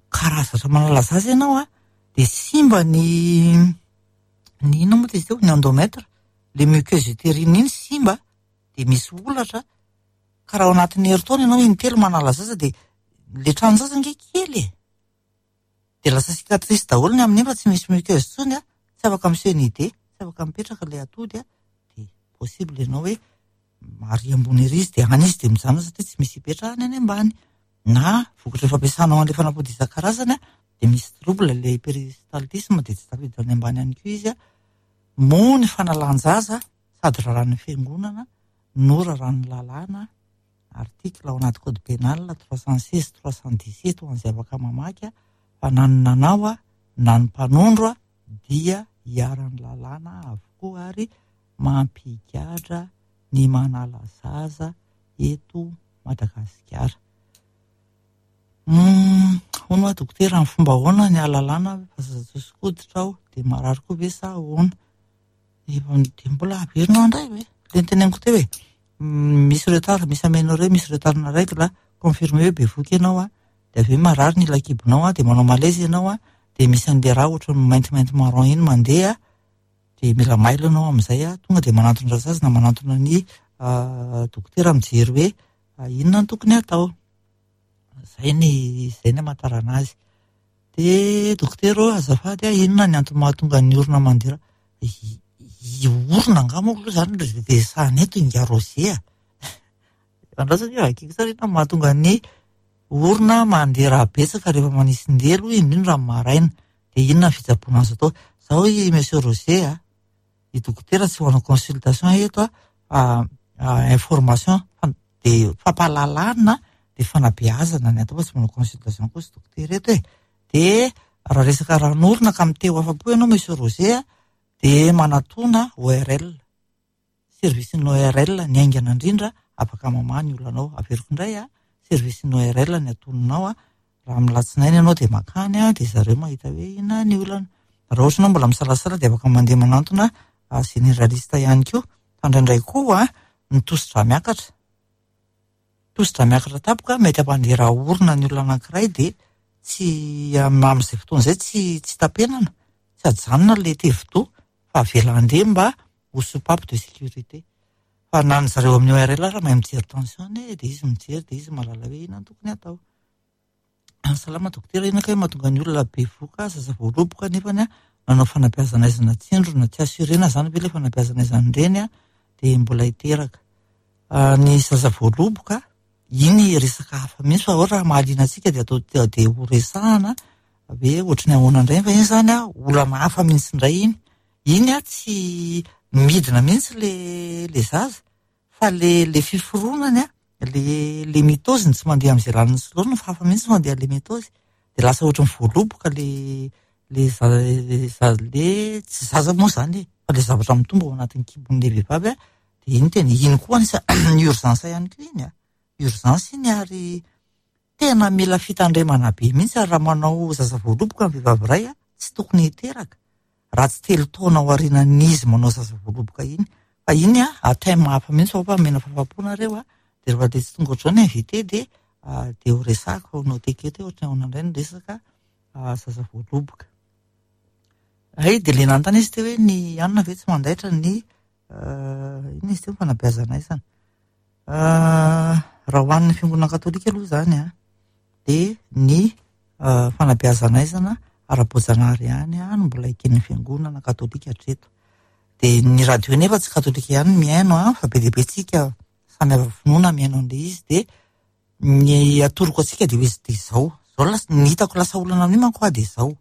Ka raha zatra manala zaza ianao an, dia simba ny ny inona moa izy teo, ny endomètre, le muqueuse utérine iny simba dia misy holatra, ka raha ao anatin'ny herintaona ianao intelo manala zaza dia le tranon-jaza ange kely e. Dia lasa cicatrice daholo ny amin'iny fa tsy misy muqueuse intsony an, tsy afaka miseho ny idée, tsy afaka mipetraka ilay atody an, dia possible ianao hoe ary ambony ery izy dia any izy dia mijanona satria tsy misy hipetrahany any ambany. Na vokatry ny fampiasanao an'ilay fanafody isan-karazany an, dia misy trouble ilay péristaltisme dia tsy tafiditra any ambany ihany koa izy an. Moa ny fanalan-jaza sady raràn'ny fiangonana no raràn'ny lalàna, article ao anaty code pénal 316, 317 ho an'izay afaka mamaky fa na ny nanao na ny mpanondro dia iharan'ny lalàna avokoa ary mampigadra ny manala zaza eto Madagasikara. Hono hoa dokotera, amin'ny fomba ahoana ny ahalalana fa zaza tsotso-koditra aho dia marary koa ve sa ahoana? Dia mbola averinao indray ve? Ilay noteneniko teo e, misy retard, misy aménorrhée, misy retard na règle, confirmé hoe bevohoka ianao an, dia avy eo marary ny ila-kibonao an, dia manao malaise ianao an, dia misy an'ilay rà ohatran'ny maintimainty marron iny mandeha, dia mila mailo ianao amin'izay an, tonga dia manantona rasazy na manantona ny dokotera mijery hoe inona no tokony hatao. Izay ny izay ny hamantarana azy. Dia dokotera ô, azafady a, inona ny antony mahatonga ny orona mandeha rà? I orona angaha moa aloha izany ry resahana eto ingahy Roger a! Andraso anie vakiko tsara inona no mahatonga ny orona mandeha rà betsaka rehefa manisin-delo, indrindra amin'ny maraina. Dia inona ny fitsaboana azo atao? Izao i Monsieur Roger a, i dokotera tsy manao consultation eto a, fa information dia fampahalalana dia fanabeazana ny atao fa tsy manao consultation kosa dokotera eto e. Dia raha resaka ran'orona ka miteho afa-po ianao Monsieur Roger a, dia manatona ORL. Service-n'ny ORL ny haingana indrindra afaka mamaha ny olanao. Averiko indray a, service-n'ny ORL ny atoninao a, raha amin'ny alatsinainy ianao dia makany a, dia zareo mahita hoe inona ny olana. Raha ohatra ianao mbola misalasala dia afaka mandeha manantona généraliste ihany koa. Fa indraindray koa ny tosi-drà miakatra. Tosi-drà miakatra tampoka mety hampandeha rà orona ny olona anankiray dia tsy amin'izay fotoana izay tsy tsy tapenana, tsy ajanona ilay tevodoha fa avela handeha mba ho soupape de sécurité. Fa na ny zareo amin'ny ORL ary mahay mijery tension anie dia izy mijery dia izy mahalala hoe inona no tokony hatao. Salama dokotera, inona kay mahatonga ny olona bevoka zaza voaloboka nefany nanao fanabeazana aizana tsindrona, tsy assurena zany ve ilay fanabeazana aizana ireny dia mbola hiteraka. Ny zaza voaloboka, iny resaka hafa mihitsy fa raha mahaliana antsika dia atao dia ho resahana hoe ohatry ny ahoana indray fa iny zany olana hafa mihitsy indray iny. Iny tsy midina mihitsy le le zaza fa le le fiforonany le le mitôzy no tsy mandeha amin'izay lalany sy laoniny fa hafa mihitsy mandeha le mitôzy dia lasa ohatry ny voaloboka le le za le tsy zaza moa zany e fa le zavatra mitombo ao anatin'ny kibon'le vehivavy a dia iny tena iny koa anisan'ny urgence ihany koa iny a urgence iny ary tena mila fitandremana be mihitsy ary raha manao zaza voaloboka ny vehivavy iray a tsy tokony hiteraka raha tsy telo taona ao aorianan'izy manao zaza voaloboka iny fa iny a thème hafa mihitsy fa omena fahafahampo nareo a dia rehefa dia tsy tonga ohatr'izao ny invité dia dia ho resahako fa ho noteko eto hoe ohatran'ny ahoana indray ny resaka. zaza voaloboka. Hay dia ilay nanontany izy teo hoe ny anona ve tsy mandaitra ny inona izy teo ny fanabeazana aizana. Raha ho an'ny fiangonana katolika aloha izany an, dia ny fanabeazana aizana ara-boajanahary ihany no mbola eken'ny fiangonana katolika hatreto. Dia ny radio nefa tsy katolika ihany no mihaino an, fa be dia be tsika samy hafa finoana mihaino an'ilay izy dia ny atoroko antsika dia hoe dia izao. Izao lasa, ny hitako lasa olana amin'io manko aho dia izao.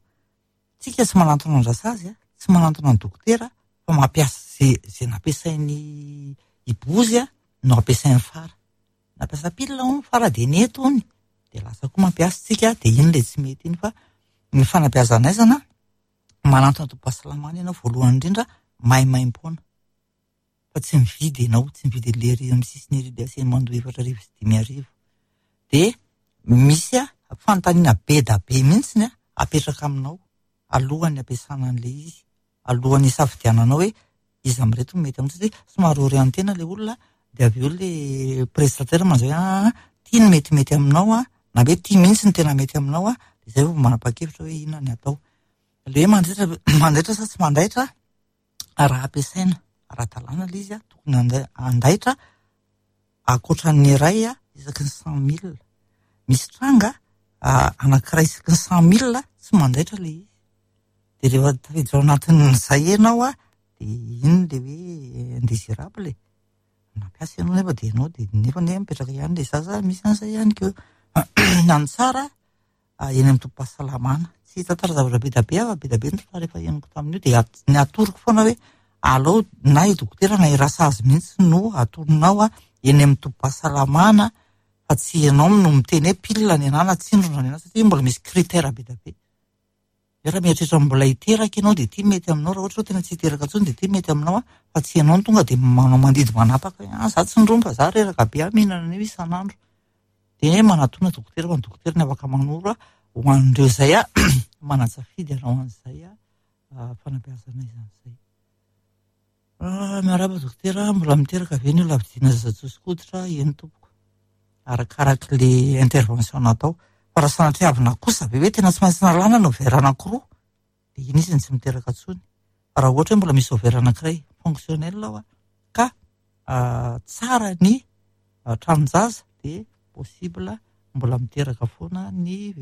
Tsika tsy manantona an-drasazy, tsy manantona ny dokotera fa mampiasa ze ze nampiasain'i Ibozy no ampiasain'i Fara. Nampiasa pilina hono Fara dia nety hono. Dia lasa koa mampiasa tsika dia iny ilay tsy mety iny fa ny fanabeazana aizana manantona tobim-pahasalamana ianao voalohany indrindra maimaimpoana. Fa tsy mividy ianao, tsy mividy an'ilay ery amin'ny sisiny ery ilay asiany mandoa 4400. Dia misy fanontaniana be da be mihitsy apetraka aminao alohan'ny ampiasana an'ilay izy, alohan'ny hisafidiananao hoe iza amin'ireto no mety aminao satria somary orientena ilay olona dia avy eo ilay prestataire manzay hoe aa ty no metimety aminao a, na hoe ty mihitsy no tena mety aminao a, dia izay vao manapa-kevitra hoe inona ny atao. Ilay hoe mandaitra mandaitra sa tsy mandaitra, raha ampiasaina ara-dalàna ilay izy a, tokony handaitra ankoatran'ny iray isaky ny 100 000. Misy tranga anankiray isaky ny 100 000 tsy mandaitra ilay izy. Dia rehefa tafiditra ao anatin'izay ianao a, dia iny ilay hoe indésirable e. Nampiasa ianao nefa dia ianao dia nefa anie mipetraka ihany ilay zaza, misy an'izay ihany koa. Na ny tsara eny amin'ny tobim-pahasalamana. Tsy hitantara zavatra be dia be aho fa be dia be ny tantara efa henoko tamin'io dia ny atoroko foana hoe alao na i dokotera na i rasazy mihitsy no atoronao eny amin'ny tobim-pahasalamana fa tsy ianao no miteny hoe pilina ny anah na tsindrona ny anah satria mbola misy critère be dia be. Hoe raha mieritreritra mbola hiteraka ianao dia ity mety aminao, raha ohatra hoe tena tsy hiteraka intsony dia ity mety aminao fa tsy ianao no tonga dia manao mandidy manapaka hoe ah za tsindromy fa za reraka be aho mihinana an'io isan'andro. Dia manatona dokotera fa ny dokotera no afaka manoro ho an'ireo izay manan-tsafidy hanao an'izay fanabeazana izany izay. Miarahaba dokotera, mbola miteraka ve ny olona vidiana zaza tsoso-koditra? Eny tompoko. Arakarak'ilay intervention natao. Fa raha sanatria avy nakosa ve hoe tena tsy maintsy nalana ny ovaire anankiroa dia iny izy no tsy miteraka intsony. Fa raha ohatra hoe mbola misy ovaire anankiray fonctionnel ao ka tsara ny tranon-jaza dia possible mbola miteraka foana ny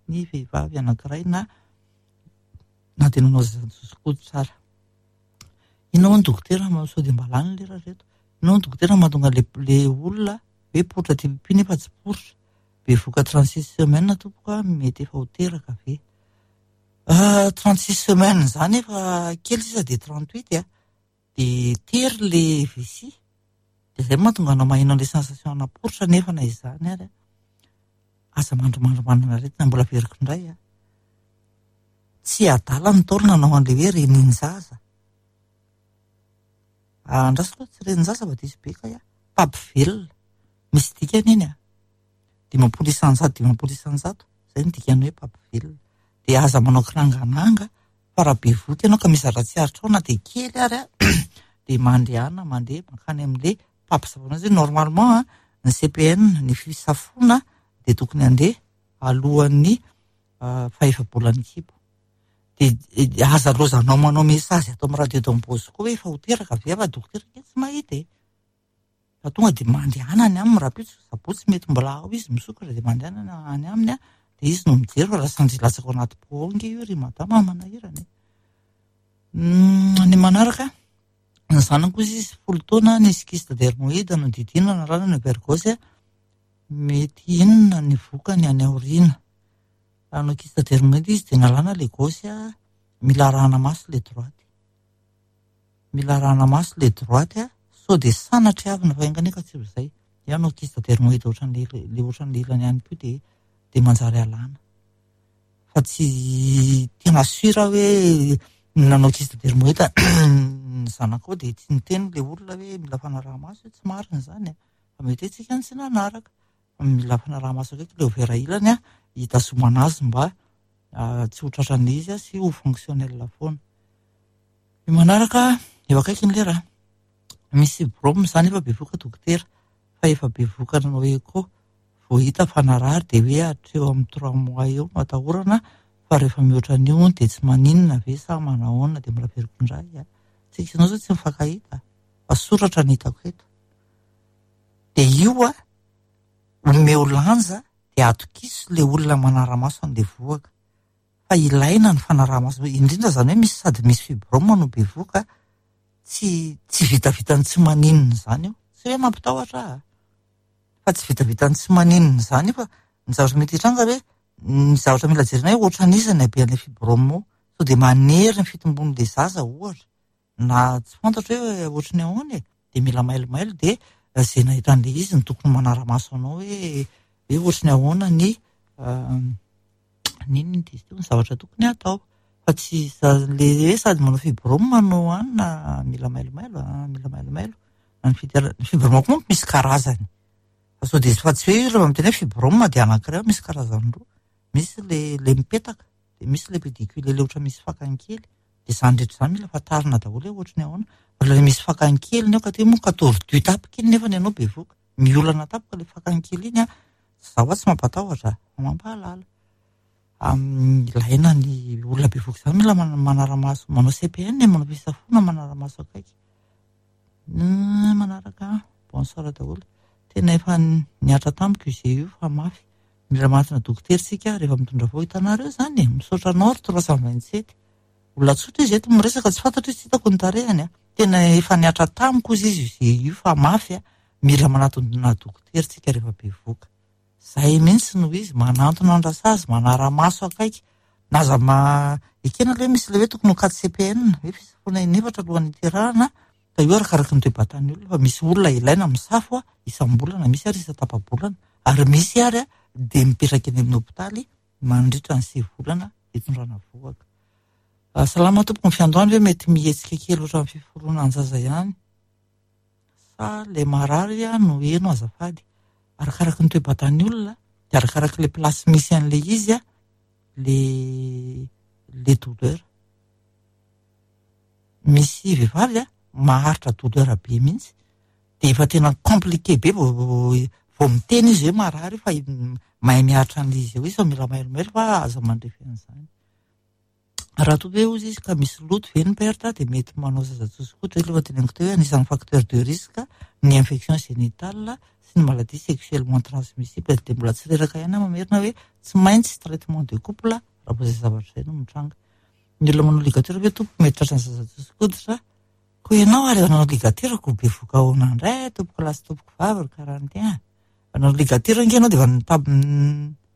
ny vehivavy anankiray na na dia nanao zaza tsoso-koditra ara. Inona hono dokotera sao dia mba lany lera ry reto. Inona hono dokotera mahatonga le le olona hoe poritra aty pipi nefa tsy poritra. Bevohoka 36 semaines tompoko a, mety efa ho teraka ve? 36 semaines izany efa kely sisa dia 38 a. Dia tery le vessie. Dia izay mahatonga anao maheno an'ilay sensation ana poritra nefa na izany ary a. Aza mandrimandry manana aretina mbola averiko indray a. Tsy adala ny Ntaolo nanao an'ilay hoe renin-jaza. Andraso aloha tsy renin-jaza fa diso be kay aho. Mpampivelona. Misy dikany iny a. 50%, 50%, izay no dikan'ny hoe mpampivelona. Dia aza manao kirangananga fa raha bevohoka ianao ka misy zavatra tsy aritrao na dia kely ary a, dia mandehana mandeha mankany amin'ilay mpampisavoana azy. Normalement ny CPN, ny fisafoana dia tokony handeha alohan'ny fahefa-bolan'ny kibo. Dia aza lozanao manao message ato amin'ny radio Don Bosco hoe efa ho teraka ve fa dokotera ange tsy mahita e. Fa tonga dia mandehana any aminy rahampitso, sabotsy mety mbola ao izy misokatra dia mandehana any aminy dia izy no mijery fa raha sanatria latsaka ao anaty pot ao ange io ry madama manahirana e. Ny manaraka, ny zanako izy izy 10 taona nisy kyste dermoïde nodidiana narana ny ovaire gauche, mety inona ny vokany any aoriana? Raha hanao kyste dermoïde izy dia nalana le gauche, mila arahana maso le droite. Mila arahana maso le droite sao dia sanatria avy ny vaingana io ka tsy ho izay. Dia hanao kyste dermoïde ohatran'le le ohatran'le ilany ihany koa dia dia manjary alana. Fa tsy tena sûr aho hoe nanao kyste dermoïde ny zanakao dia tsy niteny le olona hoe mila fanaraha-maso, tsy marina izany e. Fa mety hoe tsika no tsy nanaraka. Fa mila fanaraha-maso akaiky le ovaire ilany hitazomana azy mba tsy ho tratran'ilay izy sy ho fonctionnel foana. Ny manaraka eo akaiky ny lera. Misy fibrome izany efa bevohoka dokotera fa efa bevohoka nanao écho vao hita fa narary dia hoe hatreo amin'ny 3 mois eo no atahorana Fa rehefa mihoatra an'io hono dia tsy maninona ve sa manahoana dia mbola averiko indray a. Tsika sy ianao zao tsy mifankahita fa soratra no hitako eto. Dia io a, omeo lanja dia atokiso le olona manara-maso an'le vohoka. Fa ilaina ny fanaraha-maso, indrindra izany hoe misy sady misy fibrome no bevohoka, tsy tsy vitavitan'ny tsy maninona izany io. Tsy hoe mampitahotra aho a. Fa tsy vitavitan'ny tsy maninona izany io fa ny zavatra mety hitranga hoe ny zavatra mila jerena hoe ohatran'iza ny habean'ilay fibrome io. Sao dia manery ny fitombon'ilay zaza ohatra na tsy fantatro hoe ohatry ny ahoana e. Dia mila mailomailo dia izay nahita an'ilay izy no tokony manara-maso anao hoe hoe ohatry ny ahoana ny ny inona izy teo ny zavatra tokony hatao. Fa tsy le hoe sady manao fibrome no anona mila mailomailo a, mila mailomailo. Ny fibrome koa manko misy karazany. Fa sao dia fa tsy hoe rehefa miteny hoe fibrome dia anankiray misy karazany roa. Misy le le mipetaka, dia misy le pédicule le ohatra misy fakany kely. Dia izany rehetra izany mila fantarina daholo hoe ohatry ny ahoana. Fa le misy fakany kely ny ao ka te moa ka tordu tampoka iny nefa ny anao bevoka. Miolana tampoka le fakany kely iny a. Za hoa tsy mampatahotra fa mampahalala. Ilaina ny olona bevoka izany mila manara-maso, manao CPN, manao fisafoana, manara-maso akaiky. Manaraka bonsoir daholo. Tena efa nihatra tamiko io GU fa mafy. Mila manatona dokotera isika rehefa mitondra voa. Hitanareo izany e, misaotra anao ry 327. Olona tsotra izy eto miresaka tsy fantatro izy, tsy hitako ny tarehiny a. Tena efa nihatra tamiko izy izy io GU fa mafy a. Mila manatona dokotera isika rehefa bevoka. Zay mihitsy no izy, manantona an-drasazy, manara-maso akaiky. Na aza ma ekena aloha hoe misy ilay hoe tokony ho 4 CPN, hoe fisafoana inefatra alohan'ny hiterahana, fa io arakaraky ny toe-batan'ny olona, fa misy olona ilaina misafo isam-bolana, misy ary isan-tapa-bolana, ary misy ary dia mipetraka eny amin'ny hopitaly mandritra ny 9 volana hitondrana vohoka. Salama tompoko, ny fiandohany ve mety mihetsika kely ohatran'ny fiforonan-jaza ihany? Sa le marary no heno azafady? Arakaraky ny toe-batan'ny olona dia arakaraky le place misy an'le izy le le douleur. Misy vehivavy maharitra douleur be mihitsy dia efa tena compliqué be vao vao miteny izy hoe marary fa mahay miaritra an'le izy eo izy fa mila mailomailo fa aza mandrefy an'izany. Raha toa ve hozy izy ka misy loto ve ny perte dia mety manao zaza tsotsokotra aloha teneniko teo hoe anisan'ny facteur de risque ny infection génitale sy ny maladie sexuellement transmissible dia mbola tsy reraka ihany aho mamerina hoe tsy maintsy traitement de couple raha vao izay zavatra izay no mitranga. Ny olona manao ligature ve tompoko mety tratran'ny zaza tsotsokoditra? Koa ianao ary nanao ligature ko bevoka ahoana indray tompoko lahy sy tompoko vavy ry 41. Nanao ligature ange ianao dia efa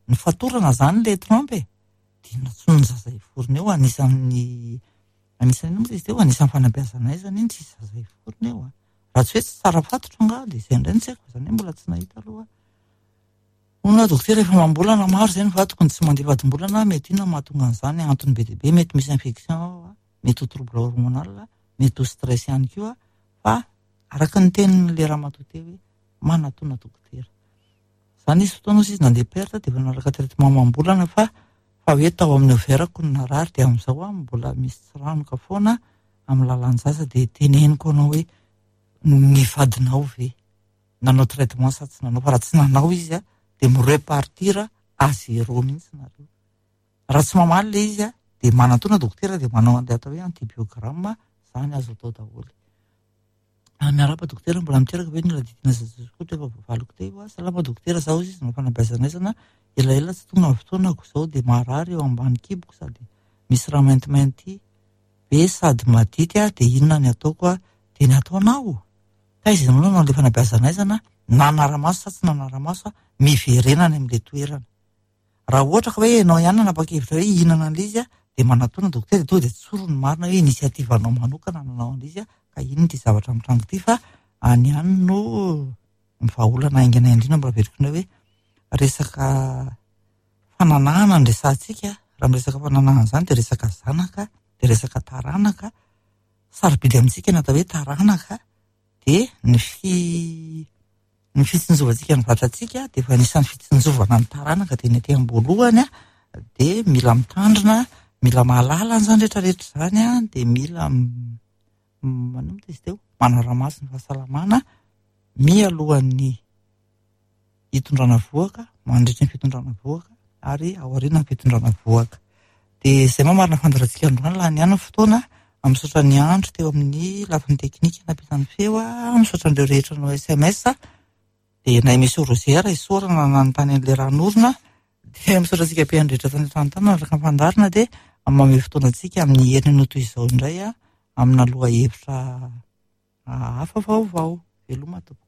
nifatorana izany ilay trompe e. Dia inona ny zaza hiforona eo anisan'ny anisan'ny inona moa izy teo anisan'ny fanabeazana aizana iny tsisy zaza hiforona eo a. Raha tsy hoe tsy tsara fatotra angaha dia izay indray no tsy haiko fa izany hoe mbola tsy nahita aloha. Hono aho dokotera efa amam-bolana maro izay ny vadiko no tsy mandeha vadim-bolana mety inona no mahatonga an'izany antony be dia be mety misy infection ao a, mety ho trouble hormonal, mety ho stress ihany koa fa araka ny tenin'ilay ramatoa teo hoe manatona dokotera. Za nisy fotoana ozy izy nandeha perte dia efa nanaraka traitement amam-bolana fa fa hoe tao amin'ny ovaire-ko no narary dia amin'izao aho mbola misy tsiranoka foana amin'ny lalan-jaza dia teneniko anao hoe ny vadinao ve nanao traitement sa tsy nanao fa raha tsy nanao izy a dia mi-repartir à zéro mihitsy nareo. Raha tsy mamaly ilay izy a dia manantona dokotera dia manao an'ilay atao hoe antibiogramme izany azo atao daholo. Miarahaba dokotera, mbola miteraka ve ny olona didina zaza skoto efa voavaliko teo a? Salama dokotera, zaho izy no fanabeazana elaela tsy tonga ny fotoanako izao dia marary eo ambany kiboko sady misy raha maintimainty be sady madity aho dia inona ny ataoko a? Dia ny ataonao? Taiza ianao nanao ilay fanabeazana nanara-maso sa tsy nanara-maso a? Miverena any amin'ilay toerana. Raha ohatra ka hoe ianao ihany nanapa-kevitra hoe hihinana an'ilay izy dia manatona dokotera dia tonga dia tsory ny marina hoe initiative anao manokana nanao an'ilay izy ka inona ity zavatra mitranga ity fa any ihany no ny vahaolana haingana indrindra mbola averiko indray hoe resaka fananahana no resahantsika raha miresaka fananahana izany dia resaka zanaka dia resaka taranaka sarobidy amintsika ny atao hoe taranaka dia ny fi ny fitsinjovantsika ny vatantsika dia efa anisan'ny fitsinjovana ny taranaka dia ny aty am-boalohany dia mila mitandrina, mila mahalala an'izany rehetrarehetra izany dia mila manomboka izy teo manara-maso ny fahasalamana mialohan'ny hitondrana vohoka, mandritry ny fitondrana vohoka ary aorian'ny fitondrana vohoka. Dia izay mamarana fandaharantsika androany, lany ihany ny fotoana. Misaotra ny andro teo amin'ny lafiny teknika nampita ny feo, misaotra an'ireo rehetra nanao SMS. Dia na i Monsieur Roger isaorana nanontany an'ilay ranonorona. Dia misaotra antsika mpihaino rehetra tany an-trano tany nanaraka ny fandaharana dia mamehy fotoana antsika amin'ny heriny toy izao indray amina lohahevitra hafa vaovao. Veloma tompoko.